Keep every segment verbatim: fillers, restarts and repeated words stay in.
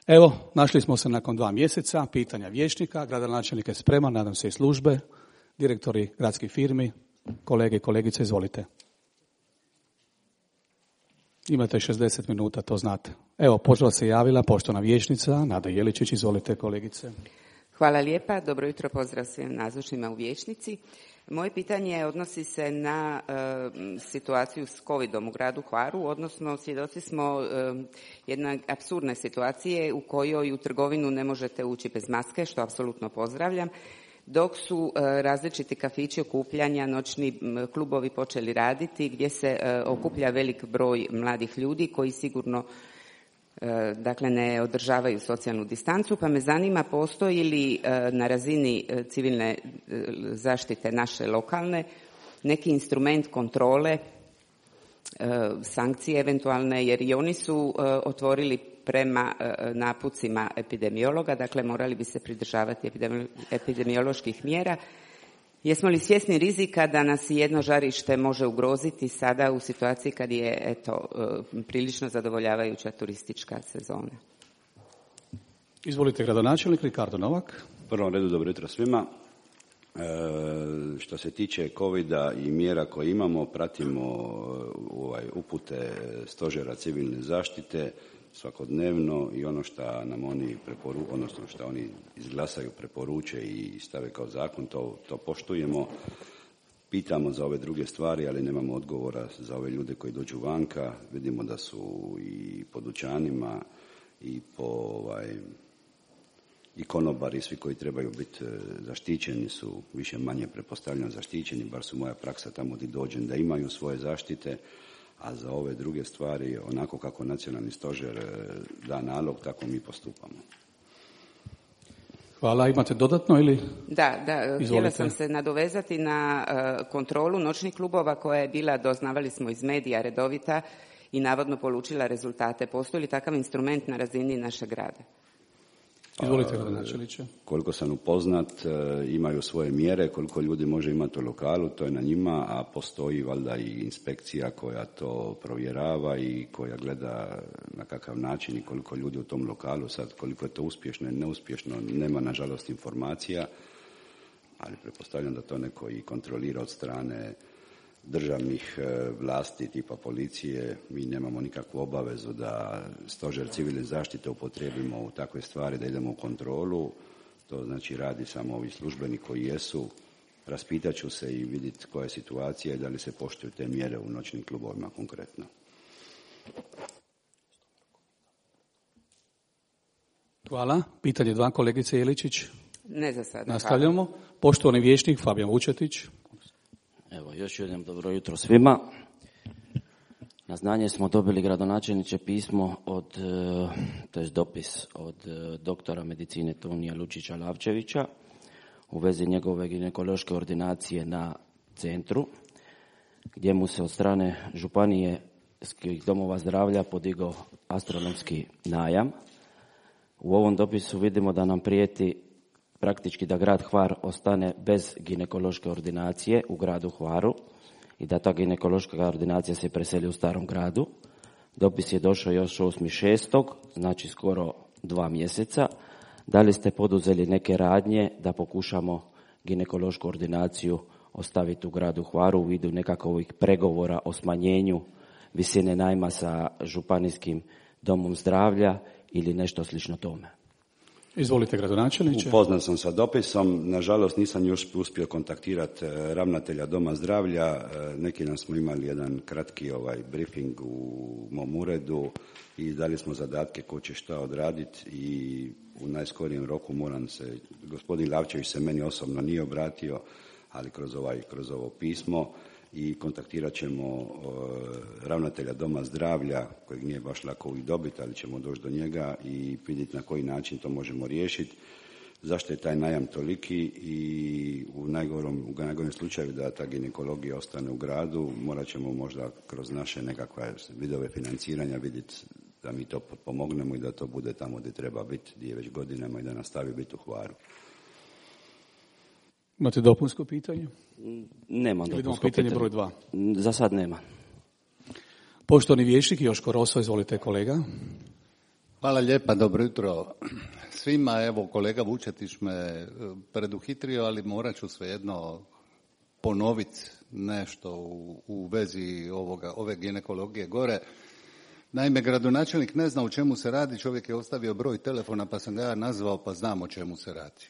Evo, našli smo se nakon dva mjeseca, pitanja vijećnika, gradonačelnik je spreman, nadam se i službe, direktori gradskih firmi, kolege i kolegice, izvolite. Imate šezdeset minuta, to znate. Evo, počela se javila poštovana vijećnica Nada Jeličić, izvolite kolegice. Hvala lijepa, dobro jutro, pozdrav svim nazočnima u vijećnici. Moje pitanje odnosi se na e, situaciju s covidom u gradu Hvaru, odnosno svjedoci smo e, jedne apsurdne situacije u kojoj u trgovinu ne možete ući bez maske, što apsolutno pozdravljam, dok su e, različiti kafići okupljanja, noćni klubovi počeli raditi gdje se e, okuplja velik broj mladih ljudi koji sigurno dakle ne održavaju socijalnu distancu, pa me zanima postoji li na razini civilne zaštite naše lokalne neki instrument kontrole, sankcije eventualne, jer i oni su otvorili prema napucima epidemiologa, dakle morali bi se pridržavati epidemioloških mjera. Jesmo li svjesni rizika da nas jedno žarište može ugroziti sada u situaciji kad je eto prilično zadovoljavajuća turistička sezona? Izvolite, gradonačelnik Ricardo Novak. U prvom redu dobro jutro svima. E, što se tiče covida i mjera koje imamo, pratimo ovaj, upute stožera civilne zaštite svakodnevno i ono što nam oni preporu, odnosno što oni izglasaju, preporuče i stave kao zakon, to, to poštujemo. Pitamo za ove druge stvari, ali nemamo odgovora za ove ljude koji dođu vanka. Vidimo da su i po dućanima i po ovaj, i konobari, svi koji trebaju biti zaštićeni su više manje pretpostavljam zaštićeni, bar su moja praksa tamo gdje dođem da imaju svoje zaštite. A za ove druge stvari, onako kako nacionalni stožer da nalog, tako mi postupamo. Hvala. Imate dodatno ili? Da, da. Htjela sam se nadovezati na uh, kontrolu noćnih klubova koja je bila, doznavali smo iz medija, redovita i navodno polučila rezultate. Postoji li takav instrument na razini našeg grada? Izvolite, gradonačelniče. Koliko sam upoznat, imaju svoje mjere, koliko ljudi može imati u lokalu, to je na njima, a postoji valjda i inspekcija koja to provjerava i koja gleda na kakav način i koliko ljudi u tom lokalu, sad koliko je to uspješno i neuspješno, nema nažalost informacija, ali pretpostavljam da to neko i kontrolira od strane državnih vlasti tipa policije. Mi nemamo nikakvu obavezu da stožer civilne zaštite upotrijebimo u takve stvari, da idemo u kontrolu. To znači radi samo ovi službeni koji jesu. Raspitat ću se i vidjeti koja je situacija i da li se poštuju te mjere u noćnim klubovima konkretno. Hvala. Pitanje dva, kolegice Jeličić. Ne za sada. Nastavljamo. Poštovani vijećnik Fabijan Vučetić. Evo, još jednom dobro jutro svima. Na znanje smo dobili, gradonačelniče, pismo od, to je dopis od doktora medicine Tonija Lučića Lavčevića u vezi njegove ginekološke ordinacije na centru, gdje mu se od strane županijskih domova zdravlja podigao astronomski najam. U ovom dopisu vidimo da nam prijeti praktički da grad Hvar ostane bez ginekološke ordinacije u gradu Hvaru i da ta ginekološka ordinacija se preseli u starom gradu. Dopis je došao još osmi šestog, znači skoro dva mjeseca. Da li ste poduzeli neke radnje da pokušamo ginekološku ordinaciju ostaviti u gradu Hvaru u vidu nekakvih pregovora o smanjenju visine najma sa županijskim domom zdravlja ili nešto slično tome? Izvolite, gradonačelniče. Upoznat sam sa dopisom, nažalost nisam još uspio kontaktirati ravnatelja doma zdravlja. Neki dan smo imali jedan kratki ovaj briefing u mom uredu i dali smo zadatke ko će šta odraditi i u najskorijem roku moram se, gospodin Lavčević se meni osobno nije obratio, ali kroz ovaj, kroz ovo pismo, i kontaktirat ćemo uh, ravnatelja doma zdravlja, kojeg nije baš lako uvijek dobiti, ali ćemo doći do njega i vidjeti na koji način to možemo riješiti. Zašto je taj najam toliki i u najgorom, u najgorem slučaju da ta ginekologija ostane u gradu, morat ćemo možda kroz naše nekakve vidove financiranja vidjeti da mi to pomognemo i da to bude tamo gdje treba biti, gdje je već godinama i da nastavi biti u Hvaru. Imate dopunsko pitanje? Nemam dopunsko pitanje. pitanje. Broj dva. Za sad nema. Poštovani vijećnik Joško Roso, izvolite kolega. Hvala lijepa, dobro jutro svima. Evo, kolega Vučetić me preduhitrio, ali morat ću svejedno ponoviti nešto u, u vezi ovoga, ove ginekologije gore. Naime, gradonačelnik ne zna o čemu se radi, čovjek je ostavio broj telefona pa sam ga ja nazvao pa znam o čemu se radi.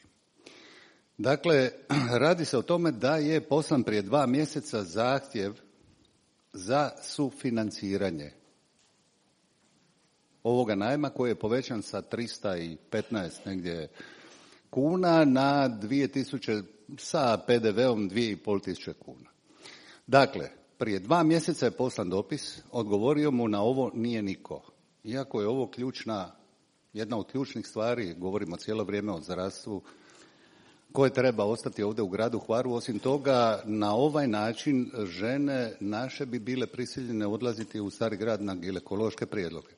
Dakle, radi se o tome da je poslan prije dva mjeseca zahtjev za sufinanciranje ovoga najma koji je povećan sa tristo petnaest negdje kuna na dvije tisuće sa P D V-om dvije i pol tisuće kuna. Dakle, prije dva mjeseca je poslan dopis, odgovorio mu na ovo nije niko. Iako je ovo ključna, jedna od ključnih stvari, govorimo cijelo vrijeme o zdravstvu, koje treba ostati ovdje u gradu Hvaru. Osim toga, na ovaj način žene naše bi bile prisiljene odlaziti u Stari grad na ginekološke prijedloge,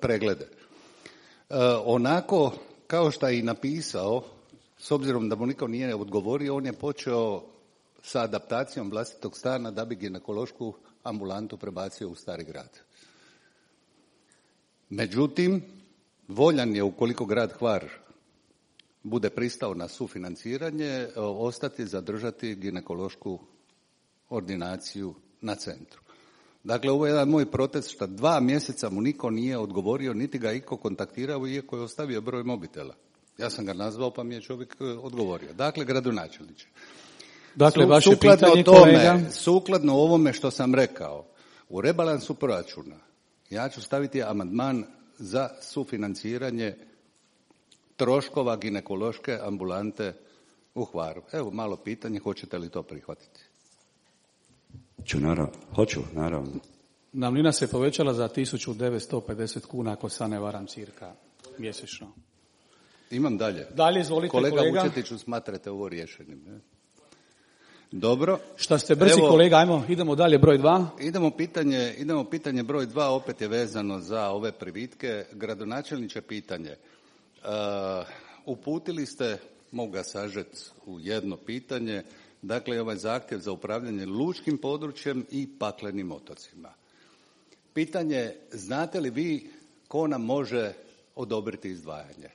preglede. E, onako, kao što je i napisao, s obzirom da mu niko nije odgovorio, on je počeo sa adaptacijom vlastitog stana da bi ginekološku ambulantu prebacio u Stari grad. Međutim, voljan je, ukoliko grad Hvar bude pristao na sufinanciranje, ostati, zadržati ginekološku ordinaciju na centru. Dakle, ovo je jedan moj protest što dva mjeseca mu niko nije odgovorio, niti ga iko kontaktirao, iako je ostavio broj mobitela. Ja sam ga nazvao pa mi je čovjek odgovorio. Dakle, gradonačelniče. Dakle, vaše sukladno pitanje, tome, kolega. Sukladno ovome što sam rekao, u rebalansu proračuna ja ću staviti amandman za sufinanciranje troškova ginekološke ambulante u Hvaru. Evo malo pitanje, hoćete li to prihvatiti? Ću, naravno. Hoću, naravno. Najamnina se povećala za tisuću devetsto pedeset kuna, ako se ne varam, cirka mjesečno. Imam dalje. Dalje, izvolite, kolega. kolega. Kolega Vučetiću, smatrate ovo rješenim? Ne? Dobro. Šta ste brzi, Evo, kolega, ajmo, idemo dalje, broj dva. Idemo pitanje, idemo pitanje broj dva, opet je vezano za ove privitke. Gradonačelniče, pitanje. Uh, uputili ste, mogu ga sažeti u jedno pitanje, dakle ovaj zahtjev za upravljanje lučkim područjem i paklenim otocima. Pitanje, znate li vi ko nam može odobriti izdvajanje?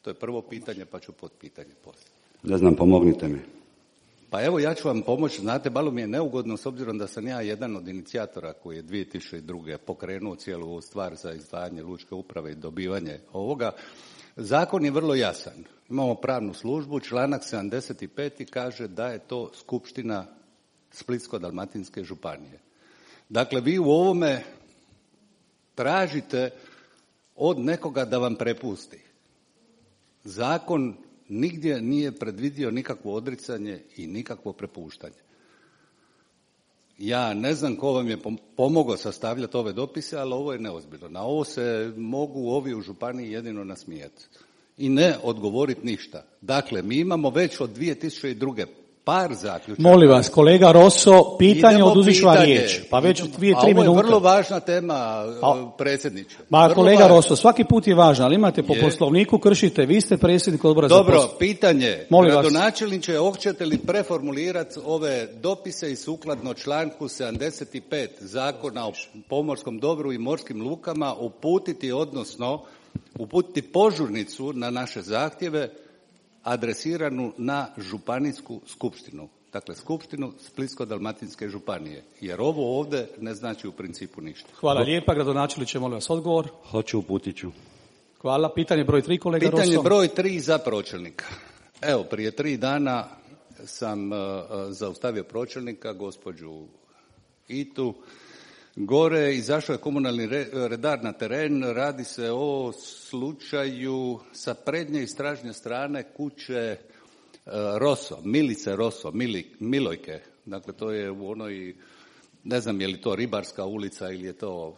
To je prvo pitanje, pa ću potpitanje poslije. Ne znam, pomognite mi. Pa evo, ja ću vam pomoći. Znate, malo mi je neugodno s obzirom da sam ja jedan od inicijatora koji je dvije tisuće druge pokrenuo cijelu ovu stvar za izdvajanje lučke uprave i dobivanje ovoga. Zakon je vrlo jasan. Imamo pravnu službu, članak sedamdeset pet kaže da je to skupština Splitsko-dalmatinske županije. Dakle, vi u ovome tražite od nekoga da vam prepusti. Zakon nigdje nije predvidio nikakvo odricanje i nikakvo prepuštanje. Ja ne znam ko vam je pomogao sastavljati ove dopise, ali ovo je neozbiljno. Na ovo se mogu ovi u županiji jedino nasmijati i ne odgovoriti ništa. Dakle, mi imamo već od dvije tisuće druge par zaključaka. Molim vas, kolega Rosso, pitanje, oduzet ću vam pitanje. riječ. Pa već Idemo. dvije, tri minute. A ovo je vrlo važna tema, A, predsjedniče. Ma Vrlo kolega važna. Rosso, svaki put je važno, ali imate po Je. poslovniku, kršite, vi ste predsjednik odbora za Dobro, posao. pitanje. Molim vas. Gradonačelniče, hoćete li preformulirati ove dopise i sukladno članku sedamdeset pet Zakona o pomorskom dobru i morskim lukama uputiti, odnosno uputiti požurnicu na naše zahtjeve adresiranu na županijsku skupštinu. Dakle, skupštinu Splitsko-dalmatinske županije. Jer ovo ovdje ne znači u principu ništa. Hvala lijepa, gradonačelniče, molim vas odgovor. Hoću, uputit ću. Hvala. Pitanje broj tri, kolega Rosso. Pitanje broj tri za pročelnika. Evo, prije tri dana sam uh, zaustavio pročelnika, gospođu Itu, gore, izašao je komunalni re, redar na teren. Radi se o slučaju sa prednje i stražnje strane kuće uh, Rosso, Milice Rosso, Mili, Milojke. Dakle, to je u onoj, ne znam je li to Ribarska ulica ili je to,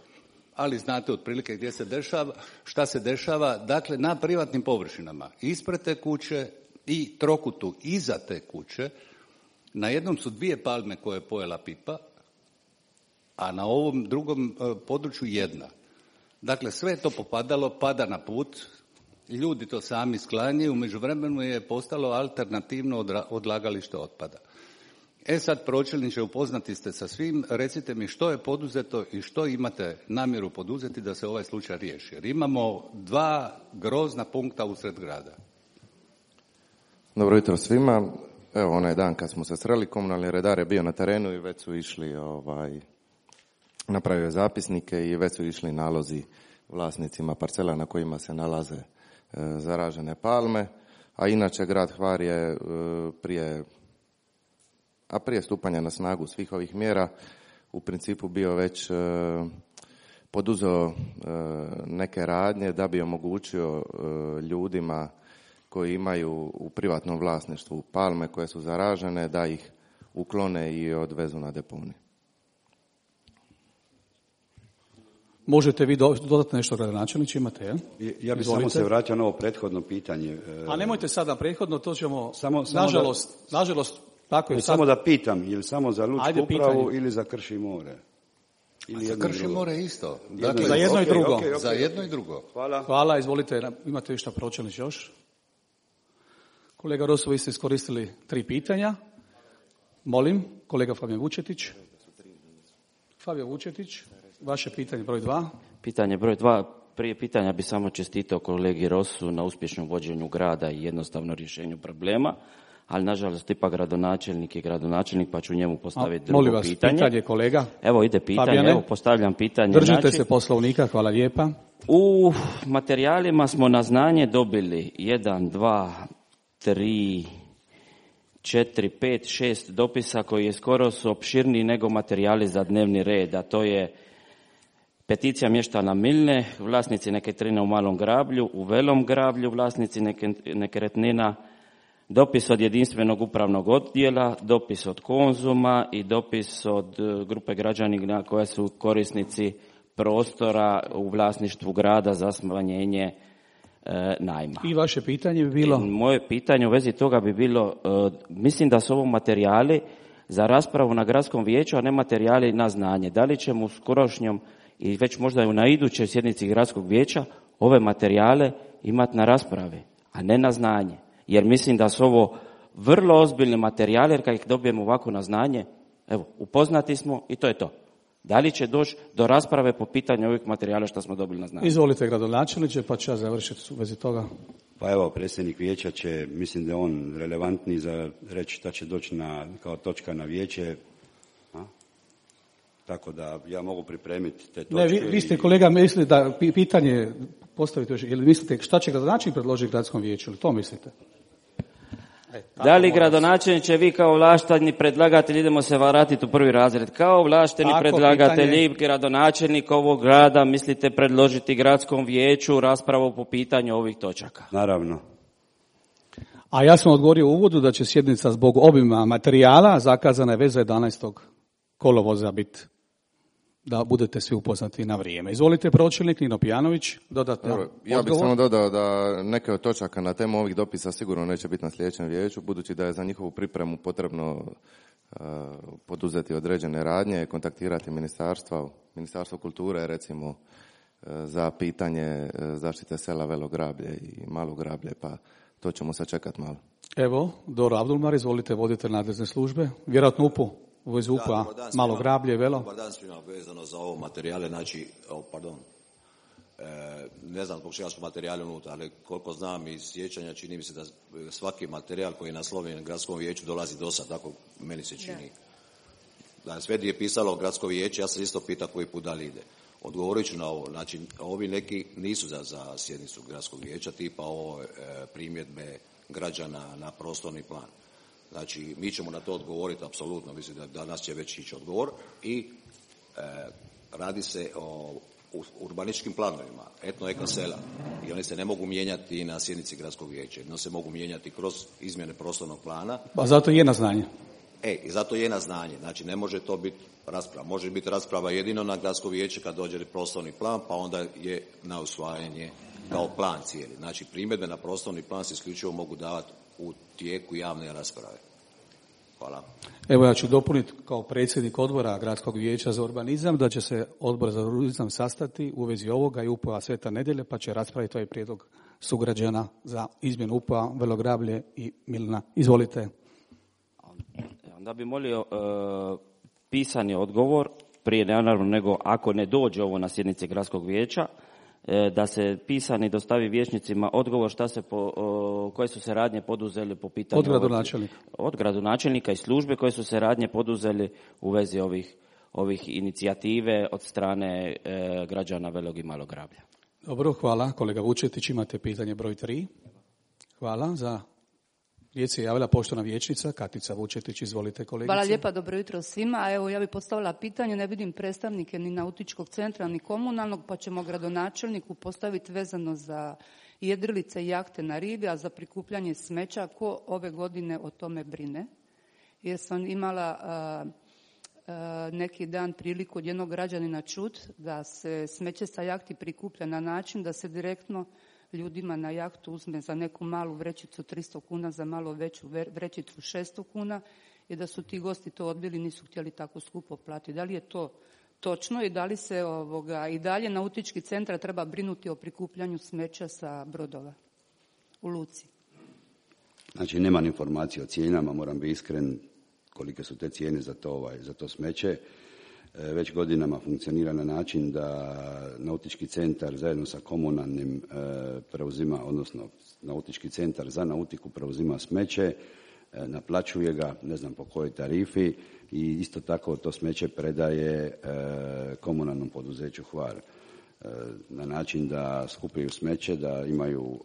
ali znate otprilike gdje se dešava, šta se dešava. Dakle, na privatnim površinama ispred te kuće i trokutu iza te kuće, na jednom su dvije palme koje je pojela pipa, a na ovom drugom području jedna. Dakle, sve je to popadalo, pada na put, ljudi to sami sklanjaju, u međuvremenu je postalo alternativno odlagalište otpada. E sad, pročelniče, upoznati ste sa svim, recite mi što je poduzeto i što imate namjeru poduzeti da se ovaj slučaj riješi. Jer imamo dva grozna punkta usred grada. Dobro jutro svima. Evo, onaj dan kad smo se sreli, komunalni redar je bio na terenu i već su išli, ovaj, napravio zapisnike i već su išli nalozi vlasnicima parcela na kojima se nalaze e, zaražene palme. A inače, grad Hvar je e, prije a prije stupanja na snagu svih ovih mjera u principu bio već e, poduzeo e, neke radnje da bi omogućio e, ljudima koji imaju u privatnom vlasništvu palme koje su zaražene da ih uklone i odvezu na deponij. Možete vi dodati nešto, gradonačelniče, imate, je? Ja bih samo se vratio na ovo prethodno pitanje. A nemojte sada prethodno, to ćemo, samo, samo nažalost, da, nažalost, tako je. Samo da pitam, je li samo za lučku Ajde, upravu pitanje. ili za Krši more? Ili za Krši more isto. Dakle, za jedno okay, i drugo. Okay, okay. Za jedno i drugo. Hvala. Hvala, izvolite, imate vi šta, pročelniče, još? Kolega Rosu, vi ste iskoristili tri pitanja. Molim, kolega Fabijan Vučetić. Fabijan Vučetić, vaše pitanje broj dva. Pitanje broj dva. Prije pitanja bi samo čestitao kolegi Rosu na uspješnom vođenju grada i jednostavno rješenju problema, ali nažalost ipak gradonačelnik je gradonačelnik, pa ću njemu postaviti A, drugo molim vas, pitanje. pitanje kolega. Evo ide pitanje, Fabijane, evo postavljam pitanje. Držite znači, se Poslovnika, hvala lijepa. U materijalima smo na znanje dobili jedan, dva, tri, četiri, pet, šest dopisa koji je skoro su opširniji nego materijali za dnevni red, a to je peticija mještana Milne, vlasnici nekretnina u Malom Grablju, u Velom Grablju, vlasnici nekretnina, dopis od jedinstvenog upravnog odjela, dopis od Konzuma i dopis od grupe građana koja su korisnici prostora u vlasništvu grada za smanjenje e, najma. I vaše pitanje bi bilo? I moje pitanje u vezi toga bi bilo, e, mislim da su ovo materijali za raspravu na gradskom vijeću, a ne materijali na znanje. Da li ćemo u skorošnjom i već možda na idućoj sjednici gradskog vijeća ove materijale imati na raspravi, a ne na znanje? Jer mislim da su ovo vrlo ozbiljni materijali, jer kad ih dobijemo ovako na znanje, evo, upoznati smo i to je to. Da li će doći do rasprave po pitanju ovih materijala što smo dobili na znanje? Izvolite, gradonačelniče, pa ću ja završiti u vezi toga. Pa evo, predsjednik vijeća će, mislim da je on relevantni za reći šta će doći na, kao točka na vijeće. A? Tako da ja mogu pripremiti te točke. Ne, vi, vi ste, kolega, mislili da pitanje postavite još, ili mislite šta će gradonačelnik predložiti gradskom vijeću, ili to mislite? E, da li gradonačelniče, vi kao ovlašteni predlagatelj, idemo se vratiti u prvi razred, kao ovlašteni tako, predlagatelji, pitanje... gradonačelnik ovog grada, mislite predložiti gradskom vijeću raspravu po pitanju ovih točaka? Naravno. A ja sam odgovorio u uvodu da će sjednica zbog obima materijala zakazana je već za jedanaestog kolovoza biti, da budete svi upoznati na vrijeme. Izvolite, pročelnik Nino Pijanović, dodatno odgovor. Ja bih samo dodao da neke od točaka na temu ovih dopisa sigurno neće biti na sljedećem vijeću, budući da je za njihovu pripremu potrebno uh, poduzeti određene radnje, kontaktirati ministarstva, Ministarstvo kulture, recimo, uh, za pitanje uh, zaštite sela Velo Grablje i Malo Grablje, pa to ćemo sačekati malo. Evo, Doro Abdulmar, izvolite, voditelj nadležne službe, vjerojatno U P U. U vezi U P A, Malo Grablje, Velo. Dobar dan svima, vezano za ovo materijale, znači, oh, pardon, e, ne znam zbog čega su materijali unutra, ali koliko znam iz sjećanja, čini mi se da svaki materijal koji je naslovljen na gradskom vijeću dolazi do sad, tako meni se čini. Da, da sve gdje je pisalo gradsko vijeće, ja se isto pita koji put da li ide. Odgovorit ću na ovo, znači, ovi neki nisu za, za sjednicu gradskog vijeća, tipa ovo e, primjedbe građana na prostorni plan. Znači, mi ćemo na to odgovoriti, apsolutno, mislim da danas će već ići odgovor i e, radi se o urbaničkim planovima, etno-eko sela i oni se ne mogu mijenjati na sjednici gradskog vijeća, no se mogu mijenjati kroz izmjene prostornog plana. Pa zato je na znanje. E, i zato je na znanje, znači ne može to biti rasprava, može biti rasprava jedino na gradsko vijeće kad dođe prostorni plan, pa onda je na usvajanje kao plan cijeli. Znači, primjedbe na prostorni plan se isključivo mogu davati u tijeku javne rasprave. Hvala. Evo ja ću dopuniti kao predsjednik odbora Gradskog vijeća za urbanizam da će se odbor za urbanizam sastati u vezi ovoga i U P A Sveta Nedjelja, pa će raspraviti ovaj prijedlog sugrađana za izmjenu U P A Velo Grablje i Milna. Izvolite. Da bi molio e, pisani odgovor, prije naravno nego ako ne dođe ovo na sjednici gradskog vijeća, e, da se pisani dostavi vijećnicima odgovor šta se po, o, koje su se radnje poduzeli po pitanju... Od gradonačelnika. Od gradonačelnika i službe koje su se radnje poduzeli u vezi ovih, ovih inicijative od strane e, građana Velog i Malog Grablja. Dobro, hvala. Kolega Vučetić, imate pitanje broj tri. Hvala. Za riječ se javila poštovana vijećnica Katica Vučetić. Izvolite, kolegice. Hvala lijepa, dobro jutro svima. A evo, ja bih postavila pitanje, ne vidim predstavnike ni nautičkog centra, ni komunalnog, pa ćemo gradonačelniku postaviti vezano za jedrilice i jahte na rivi, a za prikupljanje smeća, ko ove godine o tome brine? Jer sam imala a, a, neki dan priliku od jednog građanina čut da se smeće sa jahti prikuplja na način da se direktno ljudima na jahtu uzme za neku malu vrećicu tristo kuna, za malo veću vrećicu šesto kuna i da su ti gosti to odbili, nisu htjeli tako skupo platiti. Da li je to točno i da li se ovoga, i dalje nautički centar treba brinuti o prikupljanju smeća sa brodova u luci? Znači, nemam informacije o cijenama, moram biti iskren kolike su te cijene za to, ovaj, za to smeće. Već godinama funkcionira na način da nautički centar zajedno sa komunalnim preuzima, odnosno nautički centar za nautiku preuzima smeće, naplaćuje ga, ne znam po kojoj tarifi, i isto tako to smeće predaje komunalnom poduzeću Hvar na način da skupljaju smeće, da imaju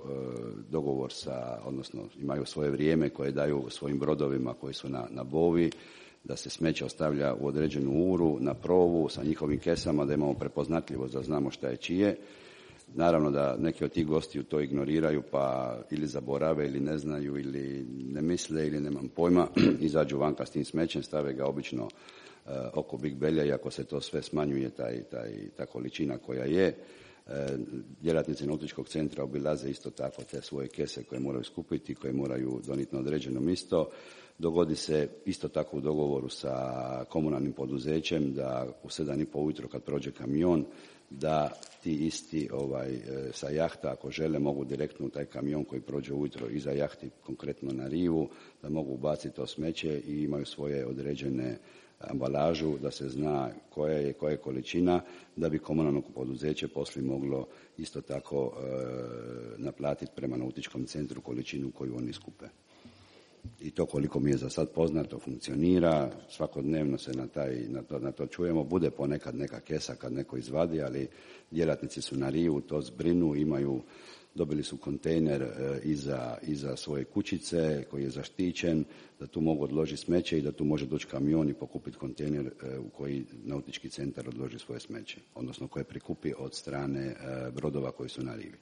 dogovor sa, odnosno imaju svoje vrijeme koje daju svojim brodovima koji su na, na bovi, da se smeće ostavlja u određenu uru, na provu, sa njihovim kesama, da imamo prepoznatljivost, da znamo šta je čije. Naravno da neki od tih gostiju to ignoriraju, pa ili zaborave, ili ne znaju, ili ne misle, ili nemam pojma, izađu vanka s tim smećem, stave ga obično uh, oko Big Belja, i ako se to sve smanjuje, taj, taj, ta količina koja je, uh, djelatnici nautičkog centra obilaze isto tako te svoje kese koje moraju skupiti, koje moraju doniti na određeno mjesto. Dogodi se isto tako u dogovoru sa komunalnim poduzećem da u sedam i pol ujutro kad prođe kamion, da ti isti ovaj, sa jahta ako žele mogu direktno u taj kamion koji prođe ujutro iza jahti, konkretno na rivu, da mogu ubaciti to smeće i imaju svoje određene ambalažu, da se zna koja je, koja je količina, da bi komunalno poduzeće poslije moglo isto tako e, naplatiti prema nautičkom centru količinu koju oni skupe. I to koliko mi je za sad poznato funkcionira, svakodnevno se na, taj, na, to, na to čujemo, bude ponekad neka kesa kad neko izvadi, ali djelatnici su na rivu, to zbrinu, imaju, dobili su kontejner e, iza, iza svoje kućice koji je zaštićen, da tu mogu odložiti smeće i da tu može doći kamion i pokupiti kontejner e, u koji nautički centar odloži svoje smeće, odnosno koje prikupi od strane e, brodova koji su na rivi.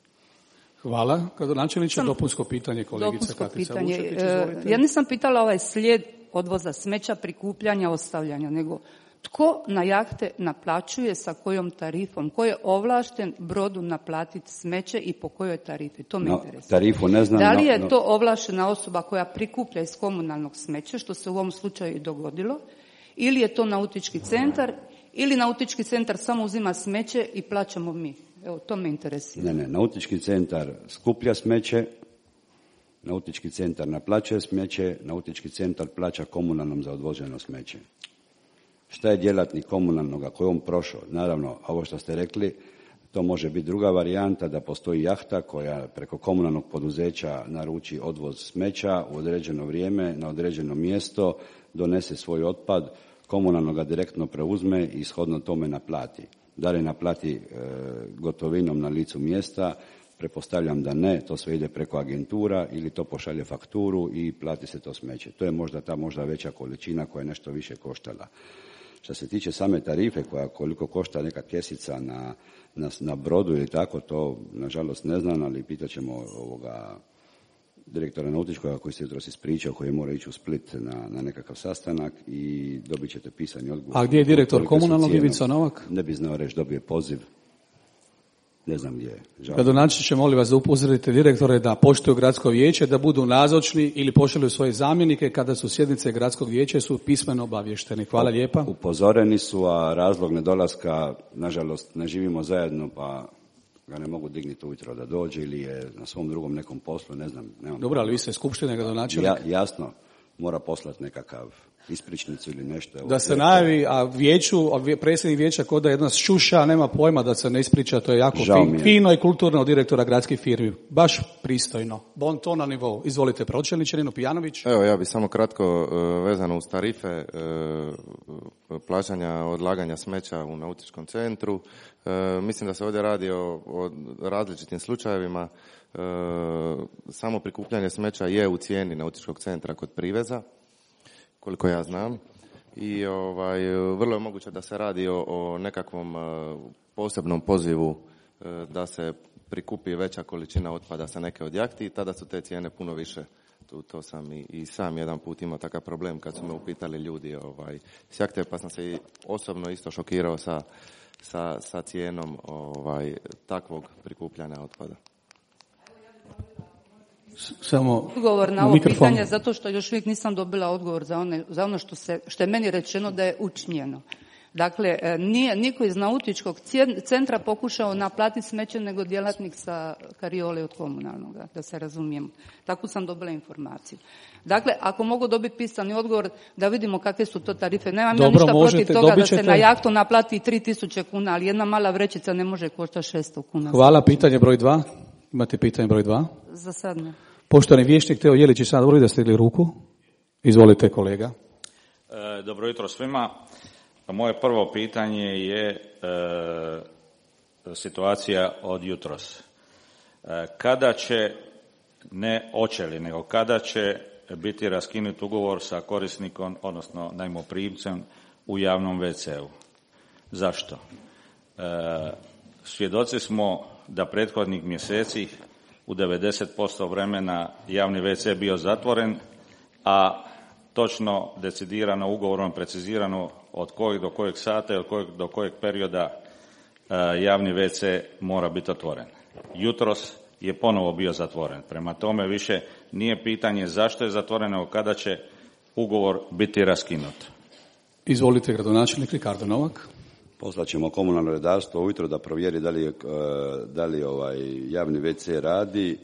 Hvala. Gradonačelniče, dopunsko pitanje kolegica Katica Vučetić, izvolite. Ja nisam pitala ovaj slijed odvoza smeća, prikupljanja, ostavljanja, nego tko na jahte naplaćuje, sa kojom tarifom, ko je ovlašten brodu naplatiti smeće i po kojoj tarifi, to me no, interesuje. Tarifu ne znam. Da li je no, no. to ovlaštena osoba koja prikuplja iz komunalnog smeća, što se u ovom slučaju i dogodilo, ili je to nautički centar, ili nautički centar samo uzima smeće i plaćamo mi? Evo, to me interesira. Ne, ne, nautički centar skuplja smeće, nautički centar naplaćuje smeće, nautički centar plaća komunalnom za odvoženo smeće. Šta je djelatnik komunalnog, ako je on prošao? Naravno, ovo što ste rekli, to može biti druga varijanta, da postoji jahta koja preko komunalnog poduzeća naruči odvoz smeća u određeno vrijeme, na određeno mjesto, donese svoj otpad, komunalno ga direktno preuzme i shodno tome naplati. Da li naplati e, gotovinom na licu mjesta, pretpostavljam da ne, to sve ide preko agentura ili to pošalje fakturu i plati se to smeće. To je možda ta možda veća količina koja je nešto više koštala. Što se tiče same tarife, koja koliko košta neka kesica na, na, na brodu ili tako, to nažalost ne znam, ali pitat ćemo ovoga direktora nautičkoga koji se jutros ispričao, koji mora ići u Split na, na nekakav sastanak i dobit ćete pisani odgovor. A gdje je direktor komunalnog, Ivica Novak? Ne bi znao reći, dobije poziv. Ne znam gdje je. Gradonačelniče, molim vas da upozorite direktore da poštuju gradsko vijeće, da budu nazočni ili pošalju svoje zamjenike kada su sjednice gradskog vijeća, su pismeno obavješteni. Hvala lijepa. Upozoreni su, a razlog nedolaska, nažalost, ne živimo zajedno, pa ga ne mogu dignuti ujutro da dođe ili je na svom drugom nekom poslu, ne znam. Nemam Dobro, ali vi ste skupština, gradonačelnik. Ja, jasno. mora poslati nekakav ispričnicu ili nešto. Da se najavi, a vijeću, a predsjednik vijeća kod da jedna šuša, nema pojma da se ne ispriča, to je jako fin, fino i kulturno od direktora gradskih firmi. Baš pristojno. Bon ton na nivou. Izvolite, pročelniče Nino Pijanović. Evo, ja bih samo kratko uh, vezano uz tarife uh, plaćanja odlaganja smeća u nautičkom centru. Uh, mislim da se ovdje radi o, o različitim slučajevima. Uh, samo prikupljanje smeća je u cijeni nautičkog centra kod priveza, koliko ja znam, i ovaj, vrlo je moguće da se radi o, o nekakvom uh, posebnom pozivu uh, da se prikupi veća količina otpada sa neke od jahti i tada su te cijene puno više. Tu, to sam i, i sam jedan put imao takav problem kad su me upitali ljudi ovaj, s jahte, pa sam se i osobno isto šokirao sa, sa, sa cijenom ovaj, takvog prikupljanja otpada. Samo odgovor na ovo mikrofon. Pitanje, zato što još uvijek nisam dobila odgovor za, one, za ono što, se, što je meni rečeno da je učinjeno. Dakle, nije niko iz nautičkog centra pokušao naplatiti smeće nego djelatnik sa kariole od komunalnog, da se razumijemo. Tako sam dobila informaciju. Dakle, ako mogu dobiti pisani odgovor da vidimo kakve su to tarife. Nemam ja ništa protiv toga da se na jahtu naplati tri tisuće kuna, ali jedna mala vrećica ne može koštati šesto kuna. Hvala, pitanje broj dva. Imate pitanje broj dva? Za sad ne. Poštovani vijećnik Teo Jelić, sad voli da ste digli ruku. Izvolite, kolega. E, dobro jutro svima. Moje prvo pitanje je e, situacija od jutros. E, kada će, ne hoće li, nego kada će biti raskinut ugovor sa korisnikom, odnosno najmoprimcem u javnom ve ce u? Zašto? E, svjedoci smo da prethodnih mjeseci u devedeset posto vremena javni ve ce bio zatvoren, a točno decidirano ugovorom precizirano od kojeg do kojeg sata i od kojeg do kojeg perioda e, javni ve ce mora biti otvoren. Jutros je ponovo bio zatvoren. Prema tome više nije pitanje zašto je zatvoren, nego kada će ugovor biti raskinut. Izvolite, gradonačelnik Ricardo Novak. Poslat ćemo komunalno redarstvo ujutro da provjeri da li, da li ovaj javni ve ce radi.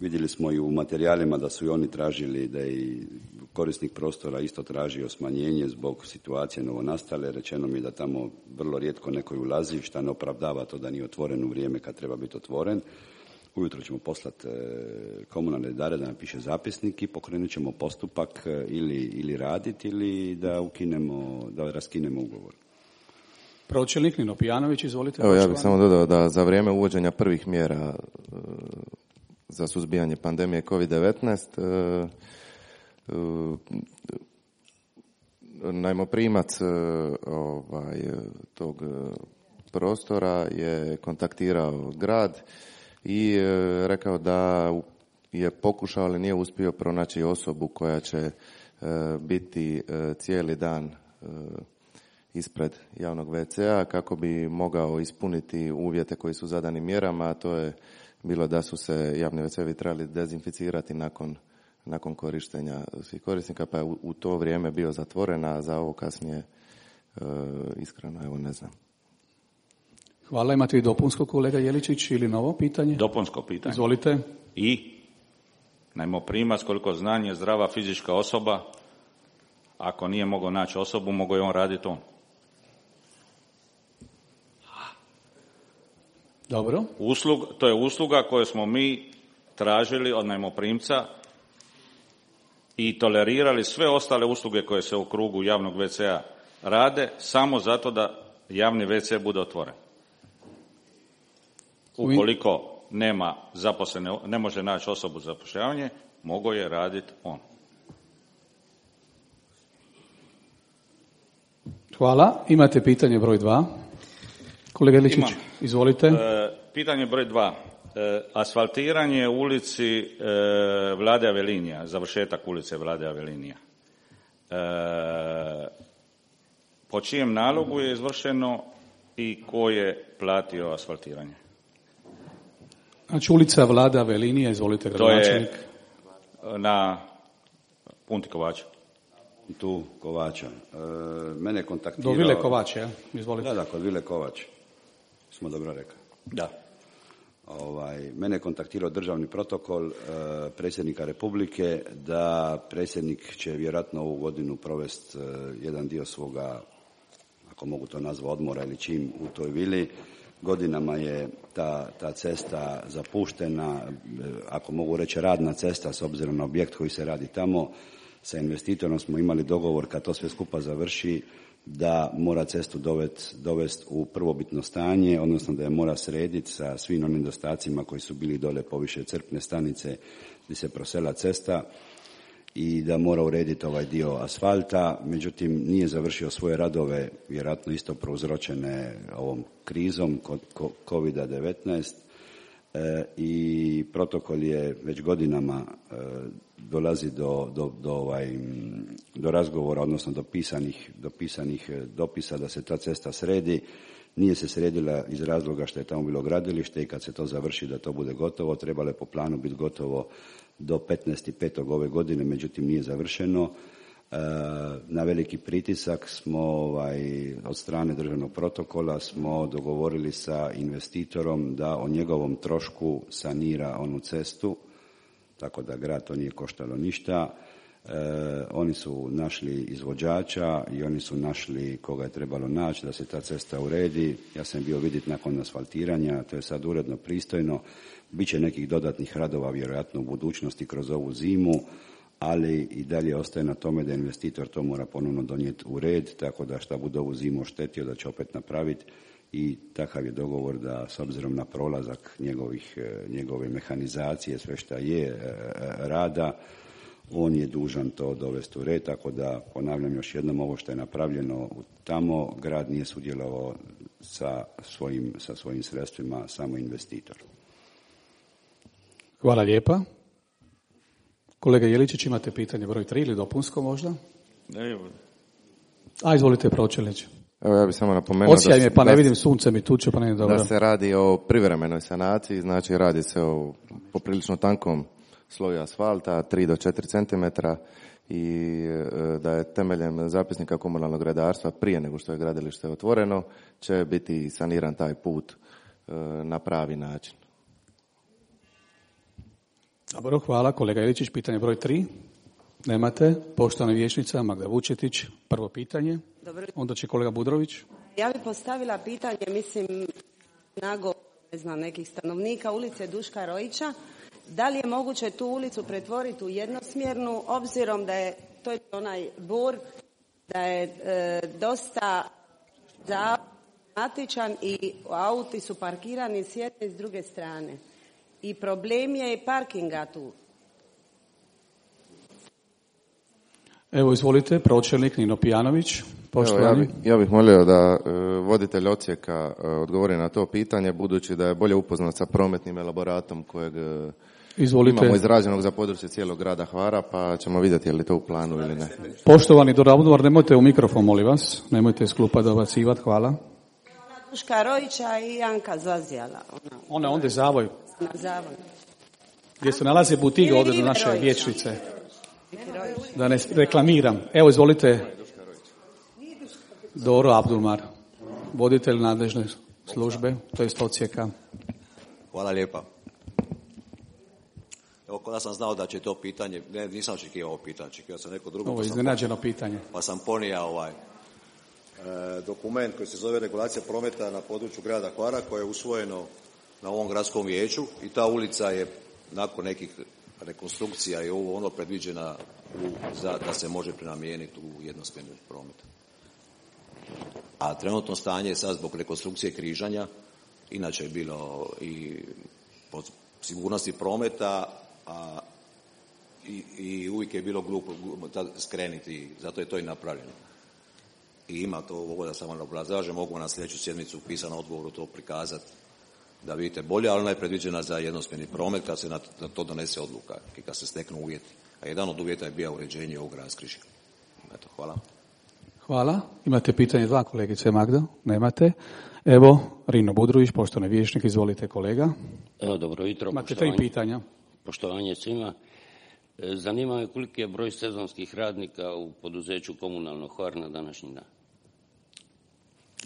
Vidjeli smo i u materijalima da su i oni tražili, da je i korisnik prostora isto tražio smanjenje zbog situacije novonastale. Rečeno mi je da tamo vrlo rijetko neko ulazi, šta ne opravdava to da nije otvoren u vrijeme kad treba biti otvoren. Ujutro ćemo poslati komunalne redare da napiše zapisnik i pokrenut ćemo postupak ili, ili raditi ili da ukinemo, da raskinemo ugovor. Pročelnik Nino Pijanović, izvolite. Evo, ja bih samo dodao da za vrijeme uvođenja prvih mjera za suzbijanje pandemije kovid devetnaest najmoprimac ovaj, tog prostora je kontaktirao grad i rekao da je pokušao, ali nije uspio pronaći osobu koja će biti cijeli dan ispred javnog ve ce a kako bi mogao ispuniti uvjete koji su zadani mjerama, a to je bilo da su se javni ve ce ovi trebali dezinficirati nakon, nakon korištenja svih korisnika, pa je u, u to vrijeme bio zatvoren, a za ovo kasnije e, iskreno, evo ne znam. Hvala, imate i dopunsko, kolega Jeličić, ili novo pitanje? Dopunsko pitanje. Izvolite. I najmoprimac, koliko znam, je zdrava fizička osoba. Ako nije mogao naći osobu, mogao je on raditi on. Dobro. Uslug, to je usluga koju smo mi tražili od najmoprimca i tolerirali sve ostale usluge koje se u krugu javnog ve ce a rade, samo zato da javni ve ce bude otvoren. Ukoliko nema zaposlene, ne može naći osobu za zapošljavanje, mogao je raditi on. Hvala. Imate pitanje broj dva. Kolega Iličić, Imam. Izvolite. E, pitanje broj dva. E, asfaltiranje u ulici e, Vlade Avelinija, završetak ulice Vlade Avelinija. E, po čijem nalogu je izvršeno i ko je platio asfaltiranje? Znači ulica Vlade Avelinija, izvolite, gradonačelnik. To je na Punti Kovača. Tu Kovača. E, mene je kontaktirao... Do Vile Kovač, ja? Izvolite. Da, da, kod Vile Kovač. Smo dobro rekli. Da. Ovaj, mene je kontaktirao državni protokol e, predsjednika Republike da predsjednik će vjerojatno ovu godinu provesti e, jedan dio svoga, ako mogu to nazvati, odmora ili čim u toj vili. Godinama je ta, ta cesta zapuštena, e, ako mogu reći radna cesta s obzirom na objekt koji se radi tamo. Sa investitorom smo imali dogovor kad to sve skupa završi da mora cestu dovesti dovest u prvobitno stanje, odnosno da je mora srediti sa svim onim nedostacima koji su bili dole poviše crpne stanice gdje se prosela cesta i da mora urediti ovaj dio asfalta. Međutim, nije završio svoje radove, vjerojatno isto prouzročene ovom krizom kovid devetnaest e, i protokol je već godinama e, dolazi do, do, do, ovaj, do razgovora, odnosno do pisanih, do pisanih dopisa da se ta cesta sredi. Nije se sredila iz razloga što je tamo bilo gradilište i kad se to završi da to bude gotovo. Trebalo je po planu biti gotovo do petnaestog petog ove godine, međutim nije završeno. E, na veliki pritisak smo ovaj, od strane državnog protokola smo dogovorili sa investitorom da o njegovom trošku sanira onu cestu, tako da grad to nije koštalo ništa. E, oni su našli izvođača i oni su našli koga je trebalo naći da se ta cesta uredi. Ja sam bio vidjeti nakon asfaltiranja, to je sad uredno, pristojno. Biće nekih dodatnih radova vjerojatno u budućnosti kroz ovu zimu, ali i dalje ostaje na tome da investitor to mora ponovno donijeti u red, tako da šta bude ovu zimu oštetio da će opet napraviti. I takav je dogovor da s obzirom na prolazak njegovih, njegove mehanizacije, sve šta je rada, on je dužan to dovesti u red, tako da ponavljam još jednom, ovo što je napravljeno tamo, grad nije sudjelovao sa svojim, sa svojim sredstvima, samo investitor. Hvala lijepa. Kolega Jeličić, imate pitanje broj tri ili dopunsko možda? Ne, A, izvolite, pročelnić. Evo, ja bih samo napomenuo Osijaj da, me, pa da, ne vidim sunce mi tuče, pa ne dobro. Da se radi o privremenoj sanaciji, znači radi se o poprilično tankom sloju asfalta, tri do četiri centimetra, i da je temeljem zapisnika komunalnog redarstva prije nego što je gradilište otvoreno će biti saniran taj put na pravi način. Dobro, hvala. Kolega Jeličić, pitanje broj tri. Nemate. Poštovana vijećnica Magda Vučetić, prvo pitanje. Dobro. Onda će kolega Budrović. Ja bih postavila pitanje, mislim, nagovor, ne znam, nekih stanovnika ulice Duška Rojića. Da li je moguće tu ulicu pretvoriti u jednosmjernu, obzirom da je, to je onaj bur, da je e, dosta zaumatičan i auti su parkirani s jedne i s druge strane. I problem je i parkinga tu. Evo, izvolite, pročelnik Nino Pijanović. Poštovani. Evo, ja, bih, ja bih molio da e, voditelj odsjeka e, odgovori na to pitanje, budući da je bolje upoznat sa prometnim elaboratom kojeg e, Izvolite. Imamo izrađenog za područje cijelog grada Hvara, pa ćemo vidjeti je li to u planu ili ne. Poštovani Doravdvar, nemojte u mikrofon, molim vas. Nemojte iz klupa dobacivati, hvala. Duška Rojića i Janka Zazijala. Ona, Ona onda zavoj. na zavoj. Gdje se nalaze butiga ovdje do naše vijećnice. Da ne reklamiram. Evo, izvolite. Doro Abdulmar, voditelj nadležne službe, to je odsjeka. Hvala lijepa. Evo, kada sam znao da će to pitanje, ne, nisam očekivao ovo pitanje, očekivao sam neko drugo. Ovo je pa sam iznenađeno ponio- pitanje. Pa sam ponija ovaj e, dokument koji se zove regulacija prometa na području grada Hvara, koje je usvojeno na ovom gradskom vijeću, i ta ulica je nakon nekih rekonstrukcija i ovo ono predviđena u, za, da se može prenamijeniti u jednosmjerni promet. A trenutno stanje je sad zbog rekonstrukcije križanja, inače je bilo i po sigurnosti prometa, a i, i uvijek je bilo glupo skrenuti, zato je to i napravljeno. I ima to, ovo da samo obrazlažem, mogu na sljedeću sjednicu u pisanom odgovoru to prikazati da vidite bolje, ali ona je predviđena za jednosmjerni promet kad se na, na to donese odluka i kad se steknu uvjeti. A jedan od uvjeta je bio uređenje ovog raskrižja. Eto, hvala. Hvala. Imate pitanje dva, kolegice Magda? Nemate. Evo, Rino Budrović, poštovani vijećnik, izvolite kolega. Evo, dobro jutro. Imate tri pitanja. Poštovanje svima. E, Zanima me koliki je broj sezonskih radnika u poduzeću Komunalno Hvar na današnji dan.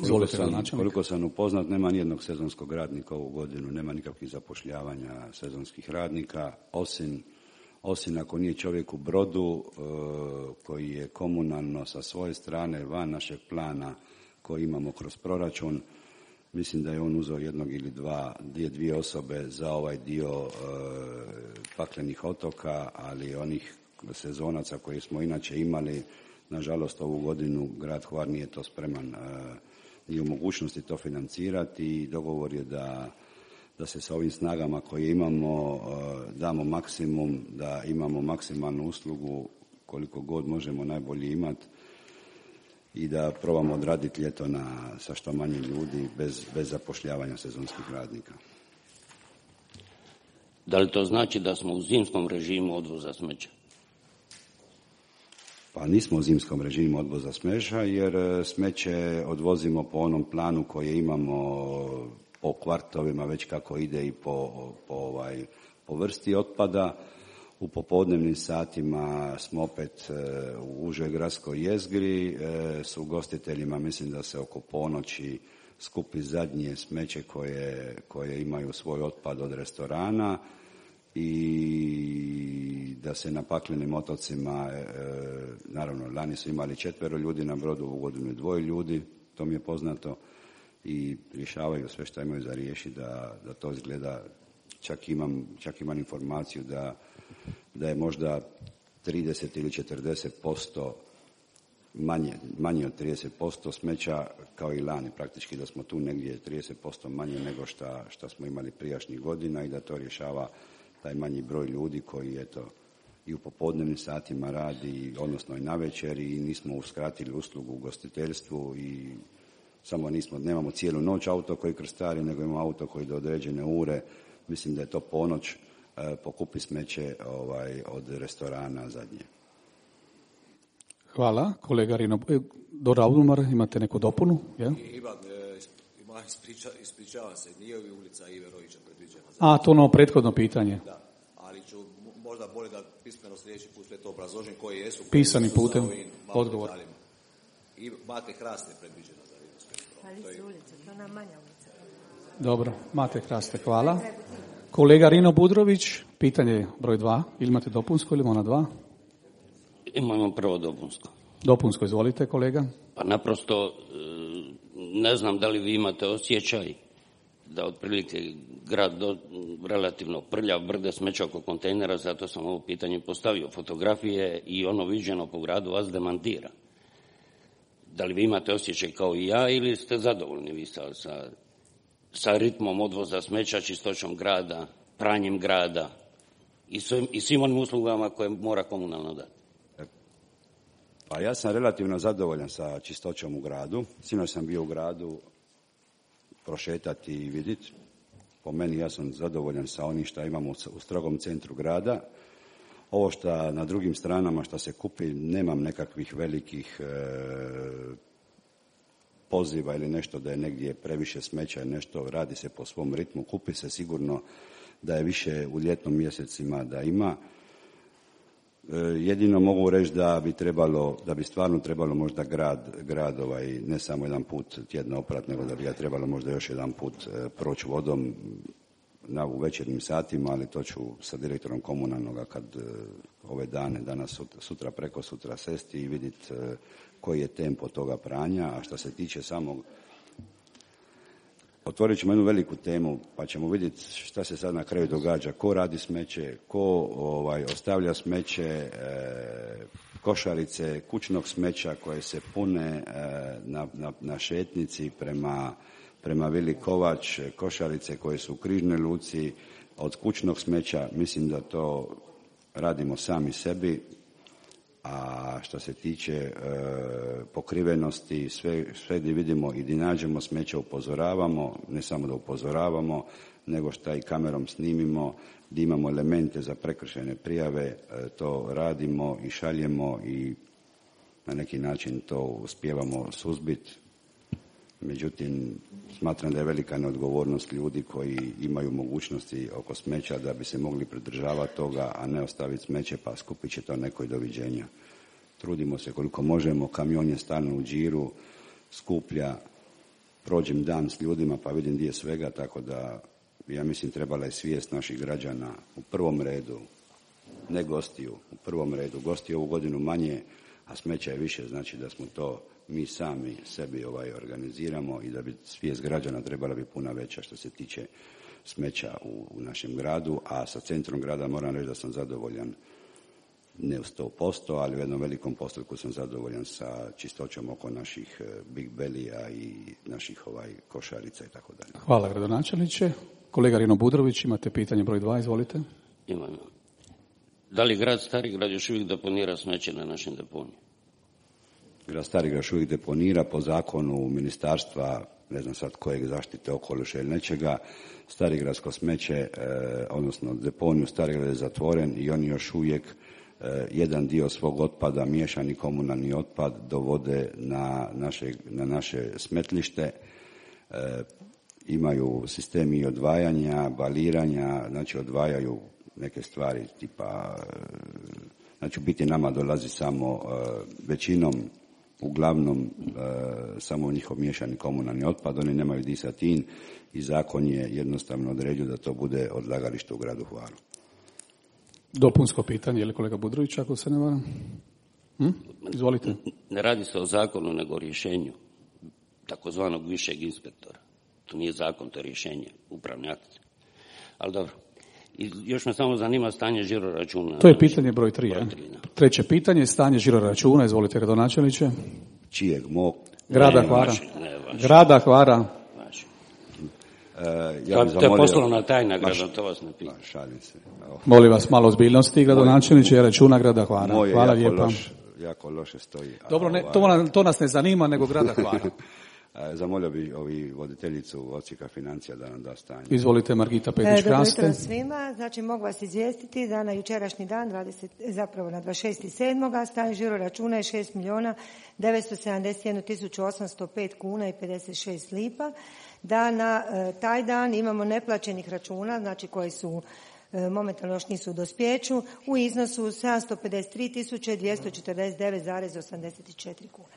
Izvolite, sam, načelnik. koliko sam upoznat, nema nijednog sezonskog radnika ovu godinu, nema nikakvih zapošljavanja sezonskih radnika, osim, osim ako nije čovjek u Brodu e, koji je komunalno sa svoje strane van našeg plana koji imamo kroz proračun. Mislim da je on uzeo jednog ili dva, dvije, dvije osobe za ovaj dio e, paklenih otoka, ali onih sezonaca koje smo inače imali, nažalost ovu godinu grad Hvar nije to spreman e, ni u mogućnosti to financirati i dogovor je da, da se sa ovim snagama koje imamo e, damo maksimum, da imamo maksimalnu uslugu koliko god možemo najbolje imati i da probamo odraditi ljeto na, sa što manje ljudi bez, bez zapošljavanja sezonskih radnika. Da li to znači da smo u zimskom režimu odvoza smeća? Pa nismo u zimskom režimu odvoza smeća jer smeće odvozimo po onom planu koji imamo po kvartovima, već kako ide i po, po, ovaj, po vrsti otpada. U popodnevnim satima smo opet u užoj gradskoj jezgri, s ugostiteljima mislim da se oko ponoći skupi zadnje smeće koje, koje imaju svoj otpad od restorana i da se na paklenim otocima, naravno lani su imali četvero ljudi na brodu, u godinu dvoje ljudi, to mi je poznato, i rješavaju sve što imaju za riješiti da, da to izgleda. Čak imam, čak imam informaciju da da je možda trideset ili četrdeset posto manje, manje od trideset posto smeća kao i lani, praktički da smo tu negdje trideset posto manje nego šta, šta smo imali prijašnjih godina i da to rješava taj manji broj ljudi koji eto i u popodnevnim satima radi, odnosno i navečer, i nismo uskratili uslugu u gostiteljstvu i samo nismo, nemamo cijelu noć auto koji krstari, nego imamo auto koji do određene ure, mislim da je to ponoć, pokupi smeće ovaj, od restorana zadnje. Hvala. Kolega Rino, Dora Audumar, imate neku dopunu? Ja? Ivan, ima, ispriča, ispričavam se, nije li ulica Ive Rojića predviđena? Za... A, to ono prethodno pitanje. Da, ali ću možda bolje da pismeno sljedeći put sve to obrazložim koji jesu. Koji Pisani putem, odgovor. I Mate Hrasne predviđena za Rimsko. Pa li su ulica, to ona manja ulica. Dobro, Mate Hrasne, hvala. Kolega Rino Budrović, pitanje broj dva. Ili imate dopunsko ili ona dva? Imamo prvo dopunsko. Dopunsko, izvolite kolega. Pa naprosto ne znam da li vi imate osjećaj da otprilike grad do, relativno prljav, brde smeća oko kontejnera, zato sam ovo pitanje postavio. Fotografije i ono viđeno po gradu vas demantira. Da li vi imate osjećaj kao i ja ili ste zadovoljni vi sa, sa, sa ritmom odvoza smeća, čistoćom grada, pranjem grada i svim, i svim onim uslugama koje mora komunalno dati? Pa ja sam relativno zadovoljan sa čistoćom u gradu. Sinoć sam bio u gradu prošetati i vidjeti. Po meni ja sam zadovoljan sa onim što imamo u strogom centru grada. Ovo što na drugim stranama što se kupi, nemam nekakvih velikih e, poziva ili nešto da je negdje previše smeća, nešto radi se po svom ritmu, kupi se sigurno da je više u ljetnom mjesecima da ima. E, jedino mogu reći da bi trebalo, da bi stvarno trebalo možda grad, grad ovaj, ne samo jedan put tjedno oprat, nego da bi ga trebalo možda još jedan put e, proći vodom na u večernjim satima, ali to ću sa direktorom komunalnoga kad e, ove dane, danas, sutra, sutra preko sutra sesti i vidjeti e, koji je tempo toga pranja. A što se tiče samog, otvorit ćemo jednu veliku temu, pa ćemo vidjeti šta se sad na kraju događa, ko radi smeće, ko ovaj, ostavlja smeće, e, košarice kućnog smeća koje se pune e, na, na, na šetnici prema prema Vili Kovač, košarice koje su u Križnoj luci, od kućnog smeća. Mislim da to radimo sami sebi, a što se tiče e, pokrivenosti, sve, sve gdje vidimo i gdje nađemo smeće upozoravamo, ne samo da upozoravamo, nego što i kamerom snimimo, gdje imamo elemente za prekršajne prijave, e, to radimo i šaljemo i na neki način to uspijevamo suzbiti. Međutim, smatram da je velika neodgovornost ljudi koji imaju mogućnosti oko smeća da bi se mogli pridržavati toga, a ne ostaviti smeće pa skupit će to neko i doviđenja. Trudimo se koliko možemo, kamion je stalno u džiru, skuplja, prođem dan s ljudima pa vidim gdje je svega, tako da ja mislim trebala je svijest naših građana u prvom redu, ne gostiju, u prvom redu. Gosti ovu godinu manje, a smeća je više, znači da smo to mi sami sebi ovaj organiziramo i da bi svijest građana trebala bi puno veća što se tiče smeća u, u našem gradu, a sa centrom grada moram reći da sam zadovoljan, ne u sto posto, ali u jednom velikom postotku sam zadovoljan sa čistoćom oko naših Big Bellija i naših ovaj košarica i tako dalje. Hvala gradonačelniče. Kolega Rino Budrović, imate pitanje broj dva, izvolite. Imam. Da li grad Stari grad još uvijek deponira smeće na našim deponiju? Grad Stari grad još uvijek deponira po zakonu ministarstva, ne znam sad kojeg, zaštite okoliša ili nečega. Starigradsko smeće, eh, odnosno deponiju Starigrad je zatvoren i oni još uvijek eh, jedan dio svog otpada, miješani komunalni otpad, dovode na naše, na naše smetlište. Eh, imaju sistemi odvajanja, baliranja, znači odvajaju neke stvari tipa, znači u biti nama dolazi samo uh, većinom, uglavnom uh, samo njihov miješani komunalni otpad, oni nemaju disatin i zakon je jednostavno odredio da to bude odlagalište u gradu Hvaru. Dopunsko pitanje, je li kolega Budrović, ako se ne varam? Hm? Izvolite. Ne radi se o zakonu, nego o rješenju takozvanog višeg inspektora. To nije zakon, to je rješenje, upravni akt. Ali dobro. I još me samo zanima stanje žiro računa. To je pitanje broj tri. Broj tri ja. Treće pitanje, stanje žiro računa. Izvolite, gradonačelniče. Čijeg? Mog? Grada ne, Hvara. Vaši, ne, Grada Hvara. Vaši. Uh, ja to, to je poslovna tajna grada, to vas ne pita. Šalim se. Molim vas malo ozbiljnosti, gradonačelniče, je računa Grada Hvara. Moje Hvala jako lijepa. Loš, jako loše stoji. Dobro, ne, to, to nas ne zanima, nego Grada Hvara. Zamolio bi ovi voditeljicu odsjeka financija da nam da stanje. Izvolite, Margita Petić-Kraste. Dobro jutro svima. Znači, mogu vas izvijestiti da na jučerašnji dan, dvadeset, zapravo na dvadeset šesti sedmog stanje žiro računa je šest milijuna devetsto sedamdeset jednu tisuću osamsto pet kuna i pedeset šest lipa. Da na e, taj dan imamo neplaćenih računa, znači koji su e, momentalno još nisu u dospjeću, u iznosu sedamsto pedeset tri tisuće dvjesto četrdeset devet zarez osamdeset četiri kuna.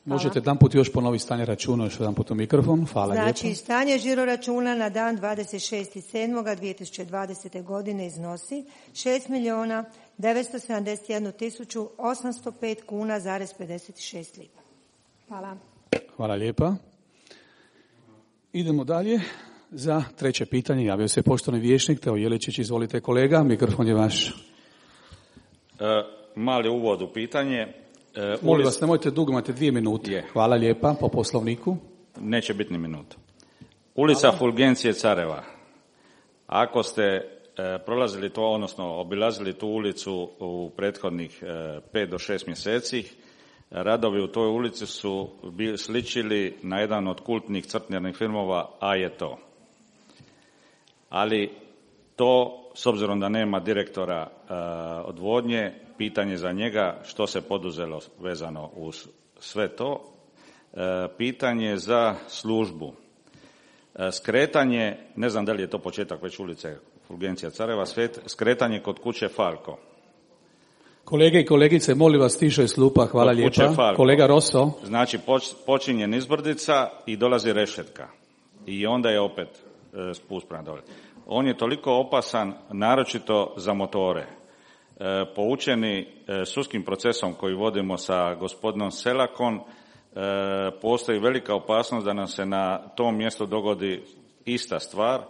Hvala. Možete jedan put još ponoviti stanje računa, još jedan put u mikrofon. Hvala znači, lijepo. stanje žiro računa na dan dvadeset šesti sedmog dvije tisuće dvadesete. godine iznosi šest milijuna devetsto sedamdeset jednu tisuću osamsto pet kuna zarez pedeset šest lipa. Hvala. Hvala lijepa. Idemo dalje. Za treće pitanje javio se poštovani vijećnik Teo Jeličić. Izvolite kolega, mikrofon je vaš. E, mali uvod u pitanje. E, Molim vas, nemojte dugo, imate dvije minute. Je. Hvala lijepa, po poslovniku. Neće biti ni minuta. Ulica Hvala. Fulgencije Careva. Ako ste e, prolazili to, odnosno obilazili tu ulicu u prethodnih e, pet do šest mjeseci, radovi u toj ulici su bili sličili na jedan od kultnih crtnjarnih filmova, A je to. Ali to, s obzirom da nema direktora e, odvodnje, pitanje za njega što se poduzelo vezano uz sve to. E, pitanje za službu. E, skretanje, ne znam da li je to početak već ulice Fulgencija Careva, skretanje kod kuće Falko. Kolege i kolegice, molim vas tiše slupa, hvala kod lijepa. Kolega Rosso. Znači počinje nizbrdica i dolazi rešetka. I onda je opet e, spust prema dole. On je toliko opasan, naročito za motore. E, poučeni e, sudskim procesom koji vodimo sa gospodinom Selakom, e, postoji velika opasnost da nam se na tom mjestu dogodi ista stvar.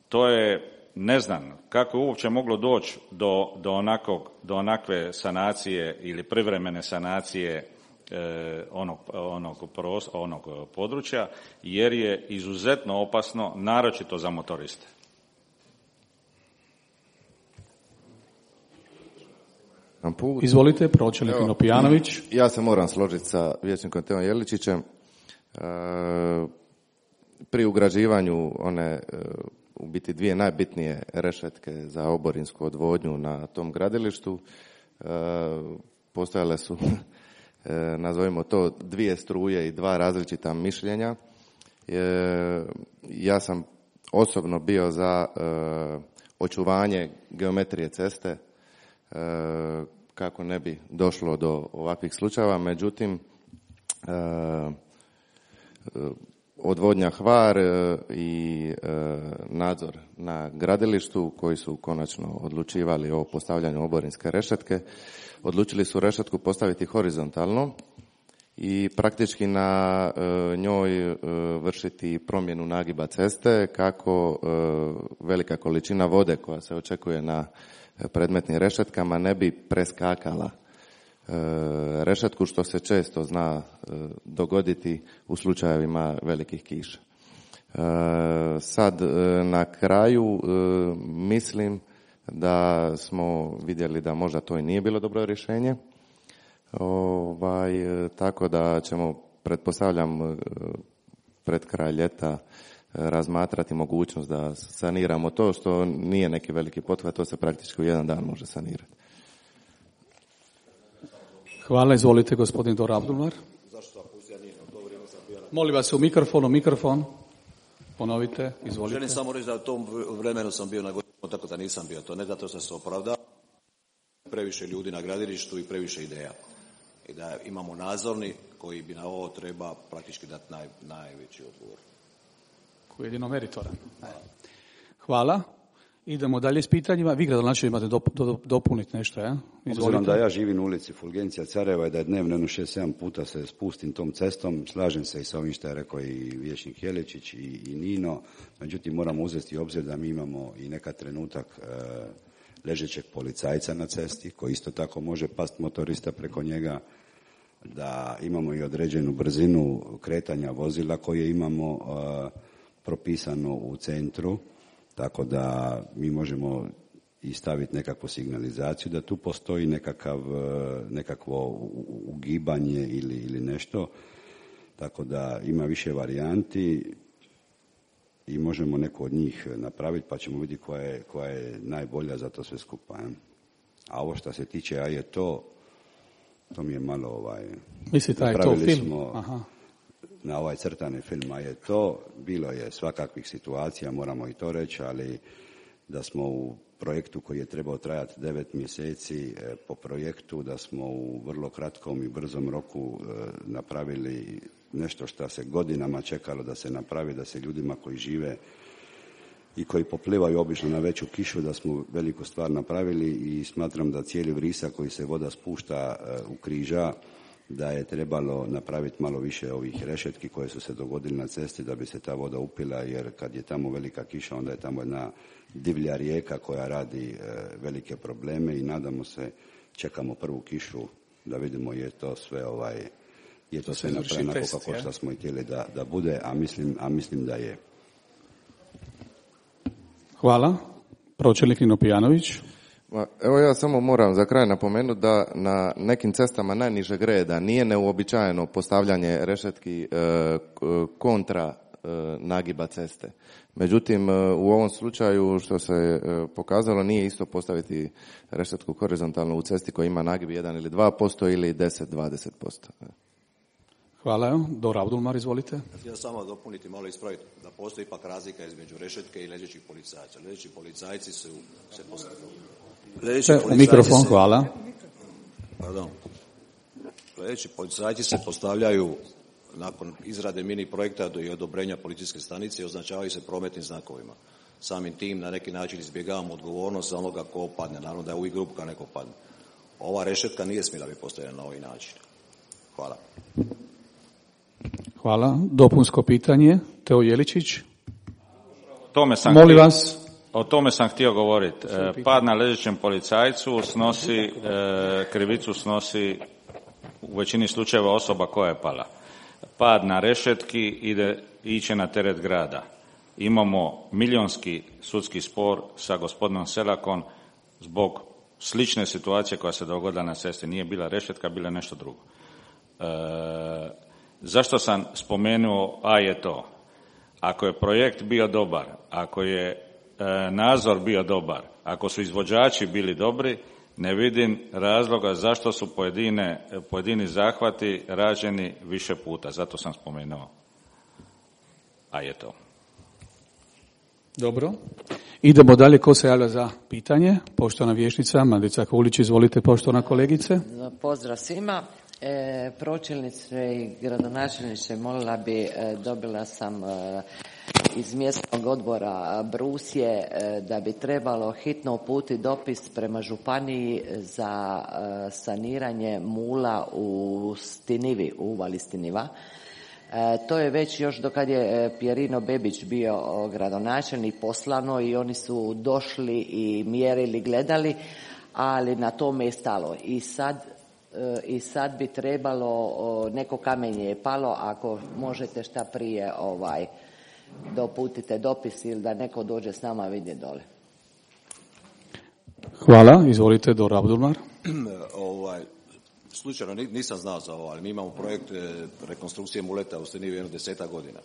To je, ne znam, kako je uopće moglo doći do, do, onakog, do onakve sanacije ili privremene sanacije e, onog, onog, pros, onog područja, jer je izuzetno opasno, naročito za motoriste. Put. Izvolite, pročelnik Nopijanović. Ja se moram složiti sa vijećnikom Teom Jeličićem. E, pri ugrađivanju one e, u biti dvije najbitnije rešetke za oborinsku odvodnju na tom gradilištu e, postojale su, e, nazovimo to, dvije struje i dva različita mišljenja. E, ja sam osobno bio za e, očuvanje geometrije ceste, kako ne bi došlo do ovakvih slučajeva. Međutim, odvodnja Hvar e, i e, nadzor na gradilištu koji su konačno odlučivali o postavljanju oborinske rešetke. Odlučili su rešetku postaviti horizontalno i praktički na e, njoj e, vršiti promjenu nagiba ceste kako e, velika količina vode koja se očekuje na predmetnim rešetkama ne bi preskakala e, rešetku, što se često zna e, dogoditi u slučajevima velikih kiša. E, sad e, na kraju e, mislim da smo vidjeli da možda to i nije bilo dobro rješenje. Ovaj, tako da ćemo, pretpostavljam, pred kraj ljeta razmatrati mogućnost da saniramo to, što nije neki veliki pothvat, to se praktički u jedan dan može sanirati. Hvala, izvolite gospodin Dor Abdulmar. Molim vas u mikrofon, u mikrofon. Ponovite, izvolite. Želim samo reći da u tom vremenu sam bio na godinu, tako da nisam bio to. Ne zato što se opravda, previše ljudi na gradilištu i previše ideja. I da imamo nadzorni koji bi na ovo treba praktički dati naj, najveći odgovor. Koji je jedino meritoran. Hvala. Idemo dalje s pitanjima. Vi gradonačelnik imate dop, do, dopuniti nešto, ja? Obzirom da ja živim u ulici Fulgencija Careva i da je dnevno jedno šest sedam puta se spustim tom cestom, slažem se i sa ovim što je rekao i vijećnik Jeličić i, i Nino, međutim moramo uzeti obzir da mi imamo i neka trenutak e, ležećeg policajca na cesti koji isto tako može past motorista preko njega, da imamo i određenu brzinu kretanja vozila koje imamo uh, propisano u centru, tako da mi možemo i staviti nekakvu signalizaciju da tu postoji nekakav, nekakvo ugibanje ili, ili nešto, tako da ima više varijanti i možemo neku od njih napraviti pa ćemo vidjeti koja je, koja je najbolja za to sve skupa. A ovo što se tiče, a je to, to mi je malo ovaj... Mislite, a je to film? Smo, aha. Na ovaj crtani film, a je to, bilo je svakakvih situacija, moramo i to reći, ali da smo u projektu koji je trebao trajati devet mjeseci, po projektu da smo u vrlo kratkom i brzom roku napravili nešto što se godinama čekalo da se napravi, da se ljudima koji žive i koji poplivaju obično na veću kišu, da smo veliku stvar napravili i smatram da cijeli vrisak koji se voda spušta u križa, da je trebalo napraviti malo više ovih rešetki koje su se dogodili na cesti da bi se ta voda upila, jer kad je tamo velika kiša onda je tamo jedna divlja rijeka koja radi e, velike probleme i nadamo se, čekamo prvu kišu da vidimo je to sve ovaj je to, to sve napravljeno kako što smo i htjeli da, da bude, a mislim, a mislim da je. Hvala. Pročelnik Nino Pijanović. Evo ja samo moram za kraj napomenuti da na nekim cestama najnižeg reda nije neuobičajeno postavljanje rešetki e, kontra e, nagiba ceste. Međutim, u ovom slučaju što se e, pokazalo nije isto postaviti rešetku horizontalno u cesti koja ima nagib jedan ili dva posto ili deset do dvadeset posto. Hvala. Dor Abdulmar, izvolite. Htio samo dopuniti, malo ispraviti, da postoji ipak razlika između rešetke i ležećih policajaca. Ležeći policajci su se postavili. U mikrofon, se, hvala. Pardon. Ležeći policajci se postavljaju nakon izrade mini projekta i odobrenja policijske stanice i označavaju se prometnim znakovima. Samim tim na neki način izbjegavamo odgovornost za onoga ko padne. Naravno da je uvijek grupa kad neko padne. Ova rešetka nije smjela biti postavljena na ovaj način. Hvala. Hvala. Dopunsko pitanje. Teo Jeličić. Tome sam Molim htio, vas. O tome sam htio govoriti. E, pad na ležećem policajcu snosi, e, krivicu snosi u većini slučajeva osoba koja je pala. Pad na rešetki ide, iće na teret grada. Imamo milionski sudski spor sa gospodinom Selakom zbog slične situacije koja se dogodila na cesti. Nije bila rešetka, bila nešto drugo. E, zašto sam spomenuo, a je to? Ako je projekt bio dobar, ako je e, nadzor bio dobar, ako su izvođači bili dobri, ne vidim razloga zašto su pojedine, pojedini zahvati rađeni više puta. Zato sam spomenuo, a je to. Dobro. Idemo dalje. Ko se javlja za pitanje? Poštovana vijećnica Mandica Kulić, izvolite, poštovana kolegice. Pozdrav svima. E, pročelnice i gradonačelniče, molila bi, e, dobila sam e, iz mjesnog odbora Brusje e, da bi trebalo hitno uputiti dopis prema županiji za e, saniranje mula u Stinivi, u uvali Stiniva. E, to je već još dokad je Pjerino Bebić bio gradonačelnik poslano i oni su došli i mjerili, gledali, ali na tome je stalo. I sad I sad bi trebalo, neko kamenje je palo, ako možete šta prije ovaj, doputite dopis ili da neko dođe s nama vidje dole. Hvala, izvolite Dora Abdulmar. ovaj, slučajno nisam znao za ovo, ali mi imamo projekt rekonstrukcije muleta u Stenivi jedno deseta godina.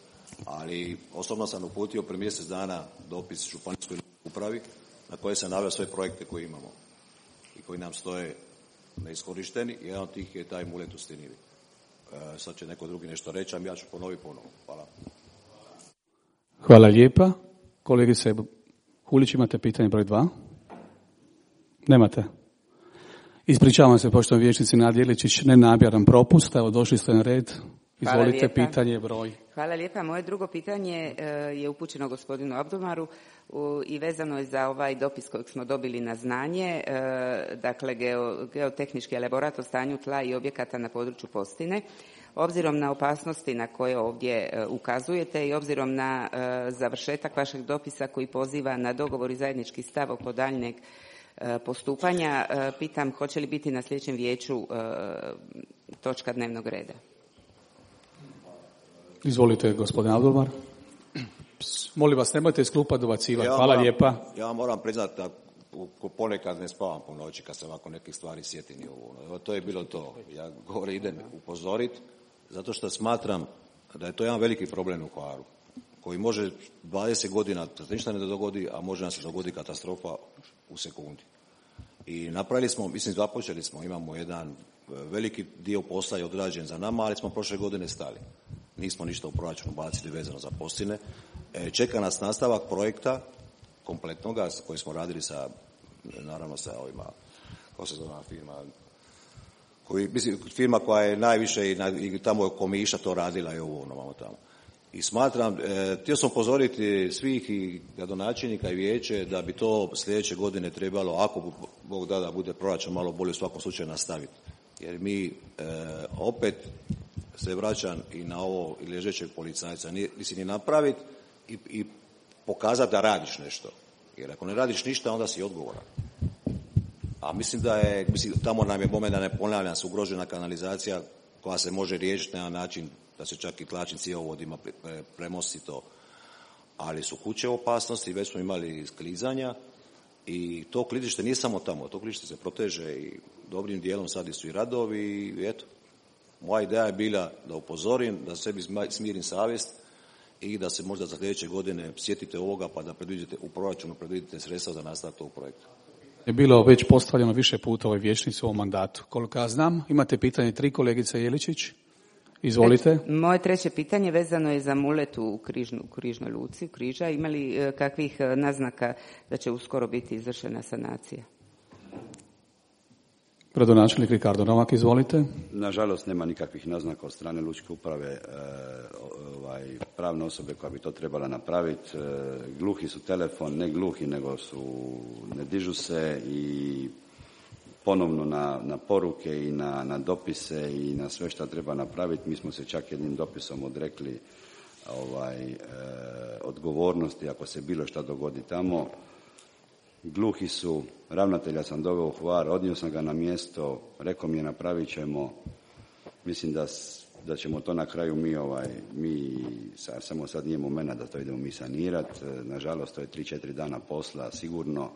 Ali osobno sam uputio prije mjesec dana dopis županijskoj upravi na koje sam naveo sve projekte koje imamo i koji nam stoje neiskorišteni. Jedan od tih je taj mulet u Stenivi. E, sad će neko drugi nešto reći, a ja ću ponoviti ponovno. Hvala. Hvala lijepa. Kolegice Hulić, imate pitanje broj dva? Nemate? Ispričavam se, poštovani vijećnici Nadija Iličić, nenamjeran propust. Evo, došli ste na red. Izvolite, pitanje broj. Hvala lijepa. Moje drugo pitanje je upućeno gospodinu Abdulmaru i vezano je za ovaj dopis kojeg smo dobili na znanje, dakle geo, geotehnički elaborat o stanju tla i objekata na području Postine. Obzirom na opasnosti na koje ovdje ukazujete i obzirom na završetak vašeg dopisa koji poziva na dogovor i zajednički stav oko daljnjeg postupanja, pitam hoće li biti na sljedećem vijeću točka dnevnog reda? Izvolite, gospodin Abdulmar. Molim vas, nemojte iz klupa dobacivati. Ja Hvala moram, lijepa. Ja moram priznati da ponekad ne spavam po noći kad se ovako nekih stvari sjetim. Evo, to je bilo to. Ja gore idem upozoriti zato što smatram da je to jedan veliki problem u Hvaru koji može dvadeset godina da se ništa ne dogodi, a može nam se dogoditi katastrofa u sekundi. I napravili smo, mislim započeli smo, imamo jedan veliki dio posla je odrađen za nama, ali smo prošle godine stali. Nismo ništa u proračunu bacili vezano za Postine. E, čeka nas nastavak projekta kompletnoga koji smo radili sa, naravno sa ovima, kako se zove firma, koji, mislim, firma koja je najviše i, na, i tamo je Komiša to radila i ovo ono tamo. I smatram, e, htio sam upozoriti svih i gradonačelnika i vijeće da bi to sljedeće godine trebalo, ako Bog da da bude proračun malo bolje u svakom slučaju nastaviti. Jer mi e, opet se vraćam i na ovo ležećeg policajca, nisi ni napraviti i, i pokazati da radiš nešto. Jer ako ne radiš ništa, onda si odgovoran. A mislim da je, mislim, tamo nam je moment, da ne ponavljam, se ugrožena kanalizacija koja se može riješiti na način da se čak i tlačnim cjevovodima premosti to. Ali su kuće u opasnosti, već smo imali klizanja i to klizište nije samo tamo, to klizište se proteže i dobrim dijelom sad su i radovi i eto. Moja ideja je bila da upozorim, da sebi smirim savjest i da se možda za sljedeće godine sjetite ovoga pa da predvidite u proračunu predvidite sredstva za nastavak tog projekta. Je bilo već postavljeno više puta ovoj vijećnici u ovom mandatu. Koliko ja znam, imate pitanje tri, kolegica Jeličić. Izvolite. Moje treće pitanje vezano je za mulet u Križnu, u Križnoj luci, u Križa. Ima li kakvih naznaka da će uskoro biti izvršena sanacija? Gradonačelnik Ricardo Novak, izvolite. Nažalost, nema nikakvih naznaka od strane lučke uprave, e, ovaj, pravne osobe koja bi to trebala napraviti. E, gluhi su telefon, ne gluhi, nego su, ne dižu se i ponovno na, na poruke i na, na dopise i na sve što treba napraviti. Mi smo se čak jednim dopisom odrekli ovaj, e, odgovornosti ako se bilo šta dogodi tamo. Gluhi su, ravnatelja sam doveo u Hvar, odnio sam ga na mjesto, rekao mi je napravit ćemo, mislim da, da ćemo to na kraju mi, ovaj, mi samo sad nije momena da to idemo mi sanirati, nažalost to je tri četiri dana posla, sigurno,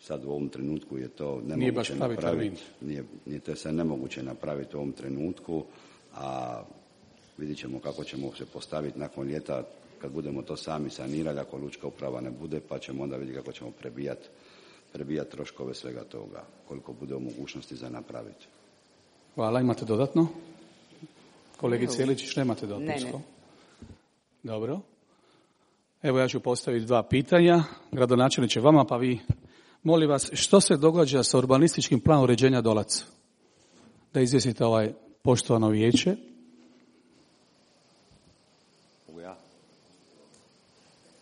sad u ovom trenutku je to nemoguće napraviti, nije, nije to sve nemoguće napraviti u ovom trenutku, a vidit ćemo kako ćemo se postaviti nakon ljeta, kad budemo to sami sanirali, ako lučka uprava ne bude, pa ćemo onda vidjeti kako ćemo prebijati prebijat troškove svega toga, koliko bude u mogućnosti za napraviti. Hvala, imate dodatno? Kolegice Jeličić, nemate dopunsko? Ne, ne. Dobro. Evo ja ću postaviti dva pitanja. Gradonačelniče vama, pa vi, molim vas, što se događa sa urbanističkim planom uređenja Dolac? da izvijestite ovaj poštovano vijeće.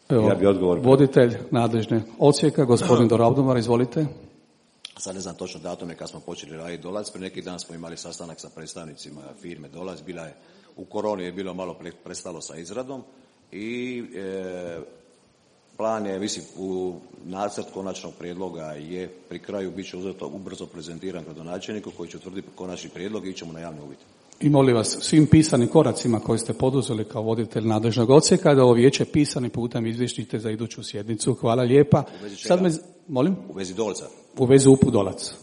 Evo, ja bi odgovor. Voditelj nadležne odsjeka, gospodin Dorabdomar, izvolite. Sad ne znam točno datume kad smo počeli raditi Dolac, prije neki dan smo imali sastanak sa predstavnicima firme Dolac, bila je, u koroni je bilo malo prestalo sa izradom i e, plan je, mislim, u nacrt konačnog prijedloga je pri kraju bit će uzeto ubrzo prezentiran gradonačelniku koji će utvrditi konačni prijedlog i ićemo na javni uvid. I molim vas, svim pisanim koracima koje ste poduzeli kao voditelj nadležnog odsjeka, da ovo vijeće pisanim putem izvještite za iduću sjednicu. Hvala lijepa. Sad me, molim? U vezi Dolca. U vezi U P U Dolac.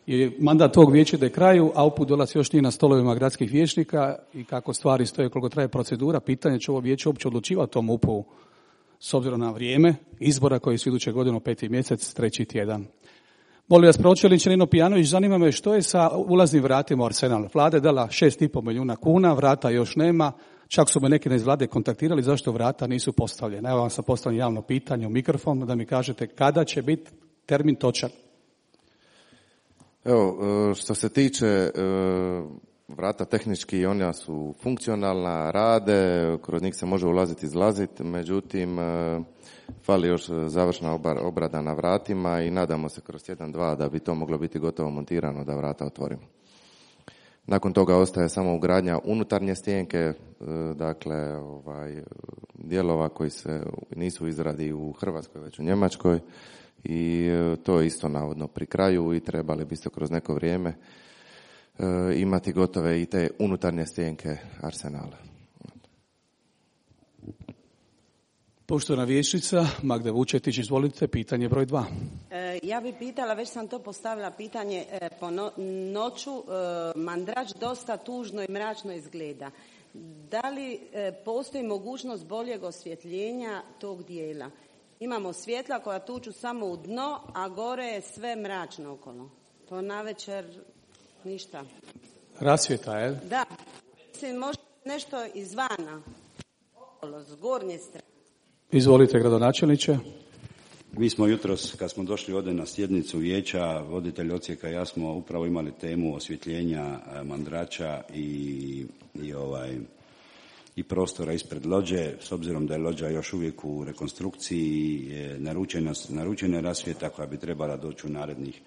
I mandat tog vijeća da je kraju, a U P U Dolac još nije na stolovima gradskih vijećnika i kako stvari stoje, koliko traje procedura, pitanje će ovo vijeće uopće odlučivati o tom U P U s obzirom na vrijeme izbora koji su iduće godine u peti mjesec, treći tjedan. Molim vas, pročelniče Nino Pijanović, zanima me što je sa ulaznim vratima u Arsenal. Vlada je dala šest i pol milijuna kuna, vrata još nema, čak su me neki iz vlade kontaktirali zašto vrata nisu postavljena. Evo vam sam postavljeno javno pitanje u mikrofon da mi kažete kada će biti termin točan. Evo, što se tiče vrata tehnički, ona su funkcionalna, rade, kroz njih se može ulaziti i izlaziti, međutim fali još završna obrada na vratima i nadamo se kroz tjedan, dva da bi to moglo biti gotovo montirano da vrata otvorimo. Nakon toga ostaje samo ugradnja unutarnje stjenke, dakle ovaj, dijelova koji se nisu u izradi u Hrvatskoj već u Njemačkoj i to je isto navodno pri kraju i trebali biste kroz neko vrijeme imati gotove i te unutarnje stjenke Arsenala. Poštovana vijećnica Magda Vučetić, izvolite, pitanje broj dva. E, ja bih pitala, već sam to postavila pitanje, e, po no, noću e, Mandrač dosta tužno i mračno izgleda. Da li e, postoji mogućnost boljeg osvjetljenja tog dijela? Imamo svjetla koja tuču samo u dno, a gore je sve mračno okolo. To navečer ništa. Rasvjeta, je? Da. Mislim, možda nešto izvana, okolo, s gornje strane. Izvolite, gradonačelniče. Mi smo jutros, kad smo došli ovdje na sjednicu vijeća, voditelj odsjeka i ja smo upravo imali temu osvjetljenja Mandrača i, i, ovaj, i prostora ispred lođe, s obzirom da je lođa još uvijek u rekonstrukciji, je naručena, naručena rasvjeta koja bi trebala doći u narednih,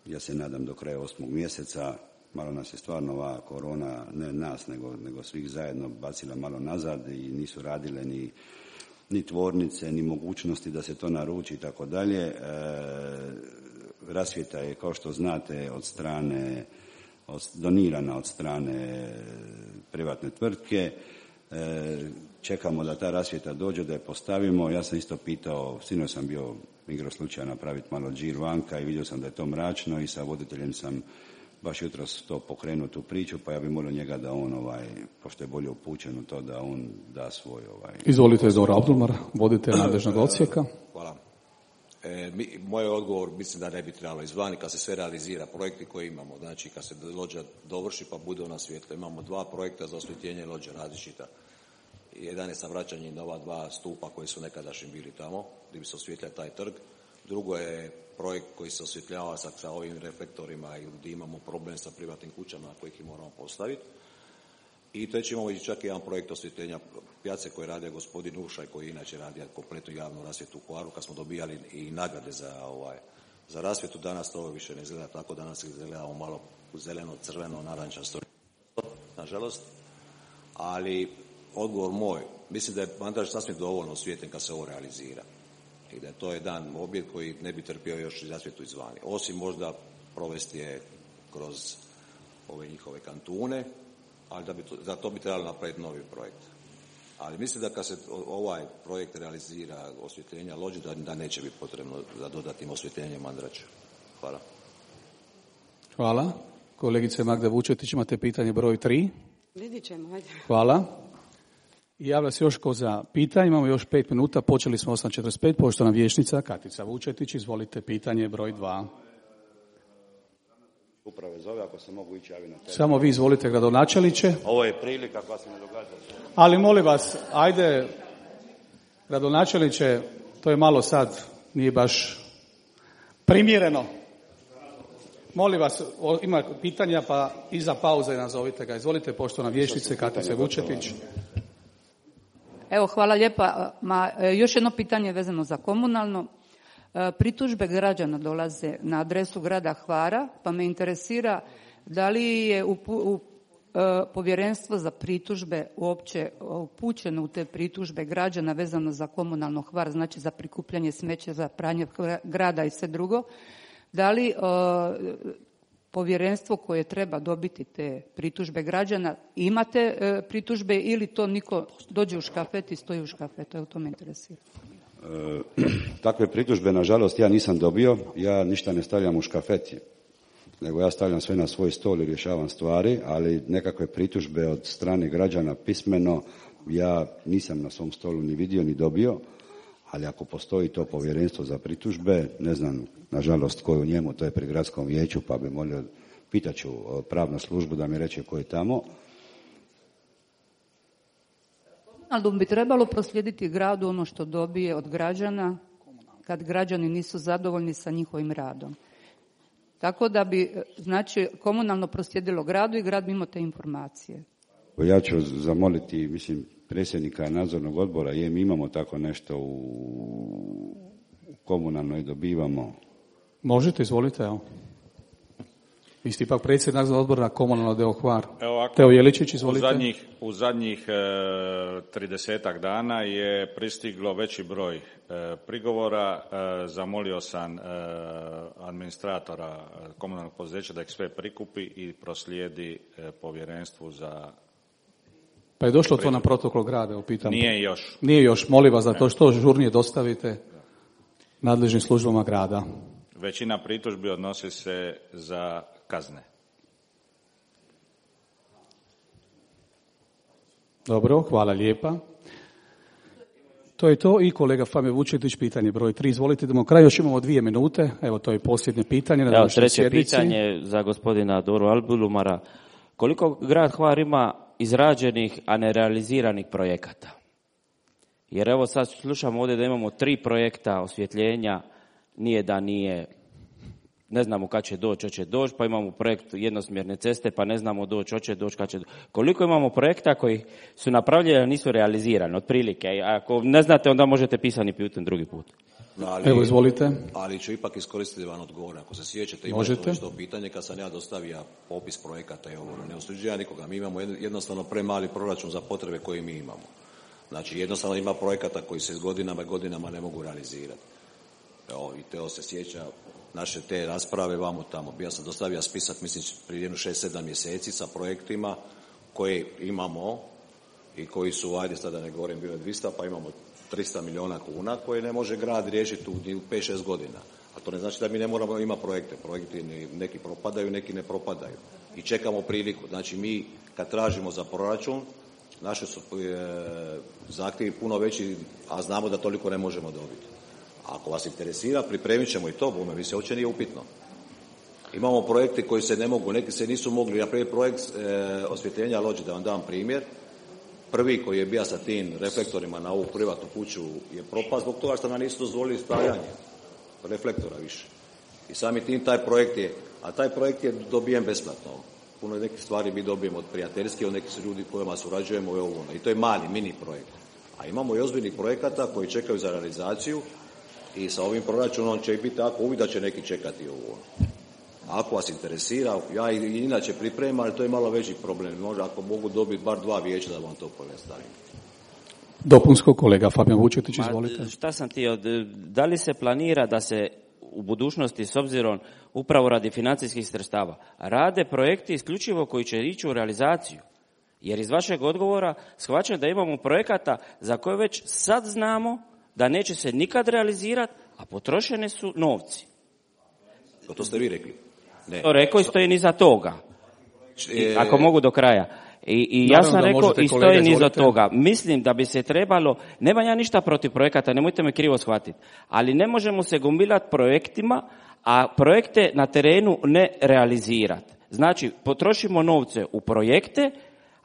ja se nadam, do kraja osmog mjeseca. Malo nas je stvarno ova korona, ne nas, nego, nego svih zajedno bacila malo nazad i nisu radile ni ni tvornice, ni mogućnosti da se to naruči i tako dalje. Rasvjeta je, kao što znate, od strane, od, donirana od strane privatne tvrtke. E, čekamo da ta rasvjeta dođe, da je postavimo. Ja sam isto pitao, sinoć sam bio igro slučaja napraviti malo džir vanka i vidio sam da je to mračno i sa voditeljem sam baš jutros to pokrenuo tu priču, pa ja bih molio njega da on, ovaj, pošto je bolje upućen u to, da on da svoj... Ovaj, Izvolite, Dora Abdulmar, voditelj nadležnog odsjeka. Hvala. E, mi, moj odgovor, mislim da ne bi trebalo izvani kad se sve realizira, projekti koje imamo, znači kad se lođa dovrši pa bude ona svjetla. Imamo dva projekta za osvjetljenje lođe različita. Jedan je sa vraćanjem na ova dva stupa koji su nekadašnji bili tamo, gdje bi se osvjetljao taj trg. Drugo je projekt koji se osvjetljava sa, sa ovim reflektorima i gdje imamo problem sa privatnim kućama na kojih ih moramo postaviti. I treći imamo i čak jedan projekt osvjetljenja pijace koji radi gospodin Ušaj, koji inače radi kompletnu javnu rasvjetu u Hvaru, kad smo dobijali i nagrade za, ovaj, za rasvjetu. Danas to više ne izgleda tako, danas izgledamo malo zeleno, crveno, narančasto, nažalost. Ali odgovor moj, mislim da je Mandrač sasvim dovoljno osvjetljen kad se ovo realizira. I da je to jedan objekt koji ne bi trpio još i rasvjetu izvani. Osim možda provesti je kroz ove njihove kantune, ali da bi to, za to bi trebalo napraviti novi projekt. Ali mislim da kad se ovaj projekt realizira osvjetljenja lođe, da, da neće biti potrebno za dodatnim osvjetljenjem Mandrača. Hvala. Hvala. Kolegice Magda Vučetić, imate pitanje broj tri. Vidit ćemo, ajde. Hvala. I javlja se još ko za pitanje, imamo još pet minuta, počeli smo osam četrdeset pet, poštovana vijećnica Katica Vučetić, izvolite pitanje broj dva. Uprave zove, ako se mogu ići javi na teren. Samo vi izvolite, gradonačelniče. Ovo je prilika koja se ne događa. Ali molim vas, ajde, gradonačelniče, to je malo sad, nije baš primjereno. Molim vas, ima pitanja pa iza pauze nazovite ga. Izvolite, poštovana vijećnice Katice Vučetić. Evo, hvala lijepa. Ma, još jedno pitanje vezano za komunalno. Pritužbe građana dolaze na adresu grada Hvara, pa me interesira da li je u, u povjerenstvo za pritužbe uopće upućeno u te pritužbe građana vezano za komunalno Hvar, znači za prikupljanje smeća, za pranje grada i sve drugo. Da li o, povjerenstvo koje treba dobiti te pritužbe građana, imate e, pritužbe ili to niko dođe u škafet i stoji u škafetu? Evo, to me interesira. E, takve pritužbe, nažalost, ja nisam dobio. Ja ništa ne stavljam u škafet, nego ja stavljam sve na svoj stol i rješavam stvari, ali nekakve pritužbe od strane građana pismeno ja nisam na svom stolu ni vidio ni dobio, ali ako postoji to povjerenstvo za pritužbe, ne znam, nažalost, ko je u njemu, to je pri gradskom vijeću, pa bi molio, pitaću pravnu službu da mi reče ko je tamo. Ali bi trebalo proslijediti gradu ono što dobije od građana kad građani nisu zadovoljni sa njihovim radom. Tako da bi, znači, komunalno proslijedilo gradu i grad bi imao te informacije. Ja ću zamoliti, mislim, predsjednika nadzornog odbora, je, mi imamo tako nešto u komunalno i dobivamo. Možete, izvolite, evo. Vi ste ipak predsjednik nadzornog odbora komunalno deo Hvar. Evo, Teo Jeličić, izvolite. U zadnjih, u zadnjih tridesetak dana je pristiglo veći broj e, prigovora. E, zamolio sam e, administratora komunalnog poduzeća da ih sve prikupi i proslijedi e, povjerenstvu za... Pa je došlo to na protokol grada, upitam. Nije još. Nije još, molim vas da to što žurnije dostavite nadležnim službama grada. Većina pritužbi odnosi se za kazne. Dobro, hvala lijepa. To je to i kolega Fabio Vučetić, pitanje broj tri. Izvolite, idemo kraj, još imamo dvije minute. Evo, to je posljednje pitanje na današnjoj sjednici. Treće pitanje za gospodina Doru Albulumara. Koliko grad Hvar ima izrađenih, a nerealiziranih projekata? Jer evo sad slušamo ovdje da imamo tri projekta osvjetljenja, nije da nije, ne znamo kad će doći, hoće doći, pa imamo projekt jednosmjerne ceste, pa ne znamo doći, hoće doći, kad će doći. Koliko imamo projekta koji su napravljeni, a nisu realizirani, otprilike? Ako ne znate, onda možete pisani putem drugi put. No, ali, Evo, izvolite. Ali ću ipak iskoristiti van odgovor. Ako se sjećate, imate to pitanje kad sam ja dostavio popis projekata i ovo, ne osuđujem nikoga. Mi imamo jednostavno premali proračun za potrebe koje mi imamo. Znači, jednostavno ima projekata koji se s godinama i godinama ne mogu realizirati. Evo, i Teo se sjeća naše te rasprave vamo tamo. Ja sam dostavio spisak, mislim, prije jedno šest sedam mjeseci sa projektima koje imamo i koji su, ajde sada ne govorim, bilo dvjesto, pa imamo tristo milijuna kuna koje ne može grad riješiti u pet šest godina. A to ne znači da mi ne moramo imati projekte. Projekti neki propadaju, neki ne propadaju. I čekamo priliku. Znači mi kad tražimo za proračun, naše su e, zahtjevi puno veći, a znamo da toliko ne možemo dobiti. Ako vas interesira, pripremit ćemo i to, bome, vi se uopće nije upitno. Imamo projekte koji se ne mogu, neki se nisu mogli, na primjer projekt e, osvjetljenja lođe, da vam dam primjer. Prvi koji je bio sa tim reflektorima na ovu privatnu kuću je propast zbog toga što nam nisu dozvolili stavljanje reflektora više. I sami tim taj projekt je, a taj projekt je dobijen besplatno. Puno nekih stvari mi dobijemo od prijateljskih, od nekih ljudi kojima surađujemo i ovo. I to je mali, mini projekt. A imamo i ozbiljnih projekata koji čekaju za realizaciju i sa ovim proračunom će biti tako uvijek da će neki čekati ovo. Ako vas interesira, ja i inače pripremam, ali to je malo veći problem. Možda ako mogu dobiti bar dva vijeća da vam to pojednostavim. Dopunsko, kolega Fabijan Vučetić, izvolite. Ma, šta sam ti, da li se planira da se u budućnosti, s obzirom upravo radi financijskih sredstava, rade projekti isključivo koji će ići u realizaciju? Jer iz vašeg odgovora shvaćam da imamo projekata za koje već sad znamo da neće se nikad realizirati, a potrošene su novci. To ste vi rekli. Ne. To rekao i stoji niza toga. I, ako mogu do kraja. I, i ja sam rekao i stoji niza toga. Mislim da bi se trebalo, nemam ja ništa protiv projekata, nemojte me krivo shvatiti, ali ne možemo se gomilati projektima, a projekte na terenu ne realizirati. Znači, potrošimo novce u projekte,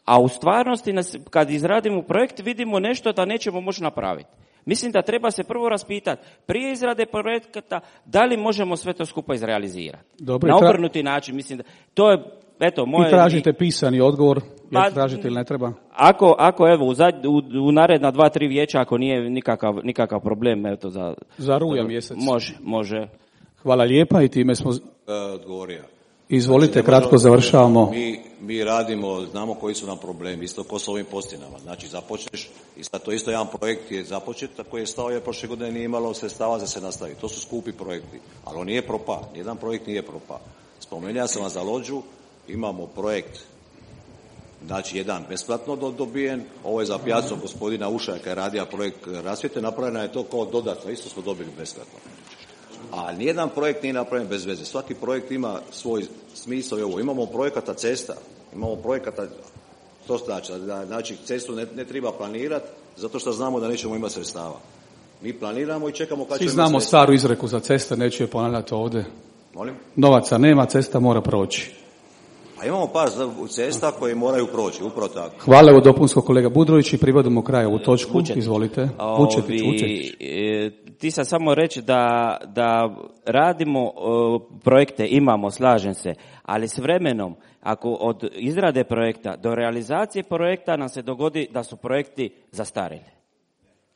a u stvarnosti kad izradimo projekt vidimo nešto da nećemo moći napraviti. Mislim da treba se prvo raspitati prije izrade projekta da li možemo sve to skupa izrealizirati. Dobro, na tra... obrnuti način, mislim da to je, eto, moje... I tražite pisani odgovor, Pa, jer tražite ili ne treba? Ako, ako evo, u, zad, u, u naredna dva, tri vijeća, ako nije nikakav, nikakav problem, eto, za... Za rujan mjesec. Može, može. Hvala lijepa i time smo... E, odgovorio. Izvolite, znači, kratko možemo, završavamo. Mi, mi radimo, znamo koji su nam problemi, isto ko s ovim postinama. Znači, započneš, i sad to isto jedan projekt je započet, koji je stao je prošle godine nije imalo sredstava za se nastaviti. To su skupi projekti, ali on nije propao, nijedan projekt nije propao. Spomenuo sam vam za Lođu, imamo projekt, znači jedan besplatno dobijen, ovo je za pijacu gospodina Ušaka koji je radio projekt rasvjete, napravljeno je to kao dodatno, isto smo dobili besplatno. A nijedan projekt nije napravljen bez veze. Svaki projekt ima svoj smisao i ovo. Imamo projekata cesta, imamo projekata, to znači, znači cestu ne, ne treba planirati zato što znamo da nećemo imati sredstava. Mi planiramo i čekamo kad ćemo imati znamo sredstava. staru izreku za ceste, neću je ponavljati ovdje. Molim? Novaca nema, cesta mora proći. A imamo par cesta koje moraju proći, upravo tako. Hvala u dopunsko kolega Budrović i privodimo kraju u točku. Vučetić. Izvolite. Vučetić, Vučetić. Ti sam samo reći da, da radimo o, projekte, imamo, slažem se, ali s vremenom, ako od izrade projekta do realizacije projekta nam se dogodi da su projekti zastarjeli.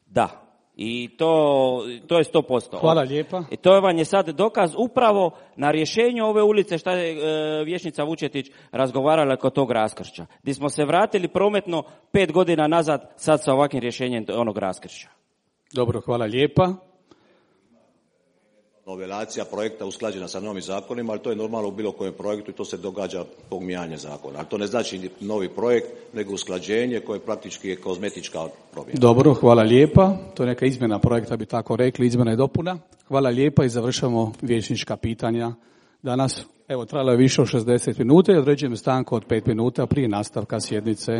Da. I to, to je sto posto. Hvala lijepa. I to vam je sad dokaz upravo na rješenju ove ulice šta je e, vijećnica Vučetić razgovarala kod tog raskršća. Gdje smo se vratili prometno pet godina nazad sad sa ovakvim rješenjem onog raskršća. Dobro, hvala lijepa. Novelacija projekta usklađena sa novim zakonima, ali to je normalno u bilo kojem projektu i to se događa zbog mijenjanja zakona. Ali to ne znači novi projekt, nego usklađenje koje praktički je kozmetička promjena. Dobro, hvala lijepa. To je neka izmjena projekta, bi tako rekli, izmjena i dopuna. Hvala lijepa i završamo vijećnička pitanja. Danas, evo, trajalo je više od šezdeset minuta i određujem stanku od pet minuta prije nastavka sjednice.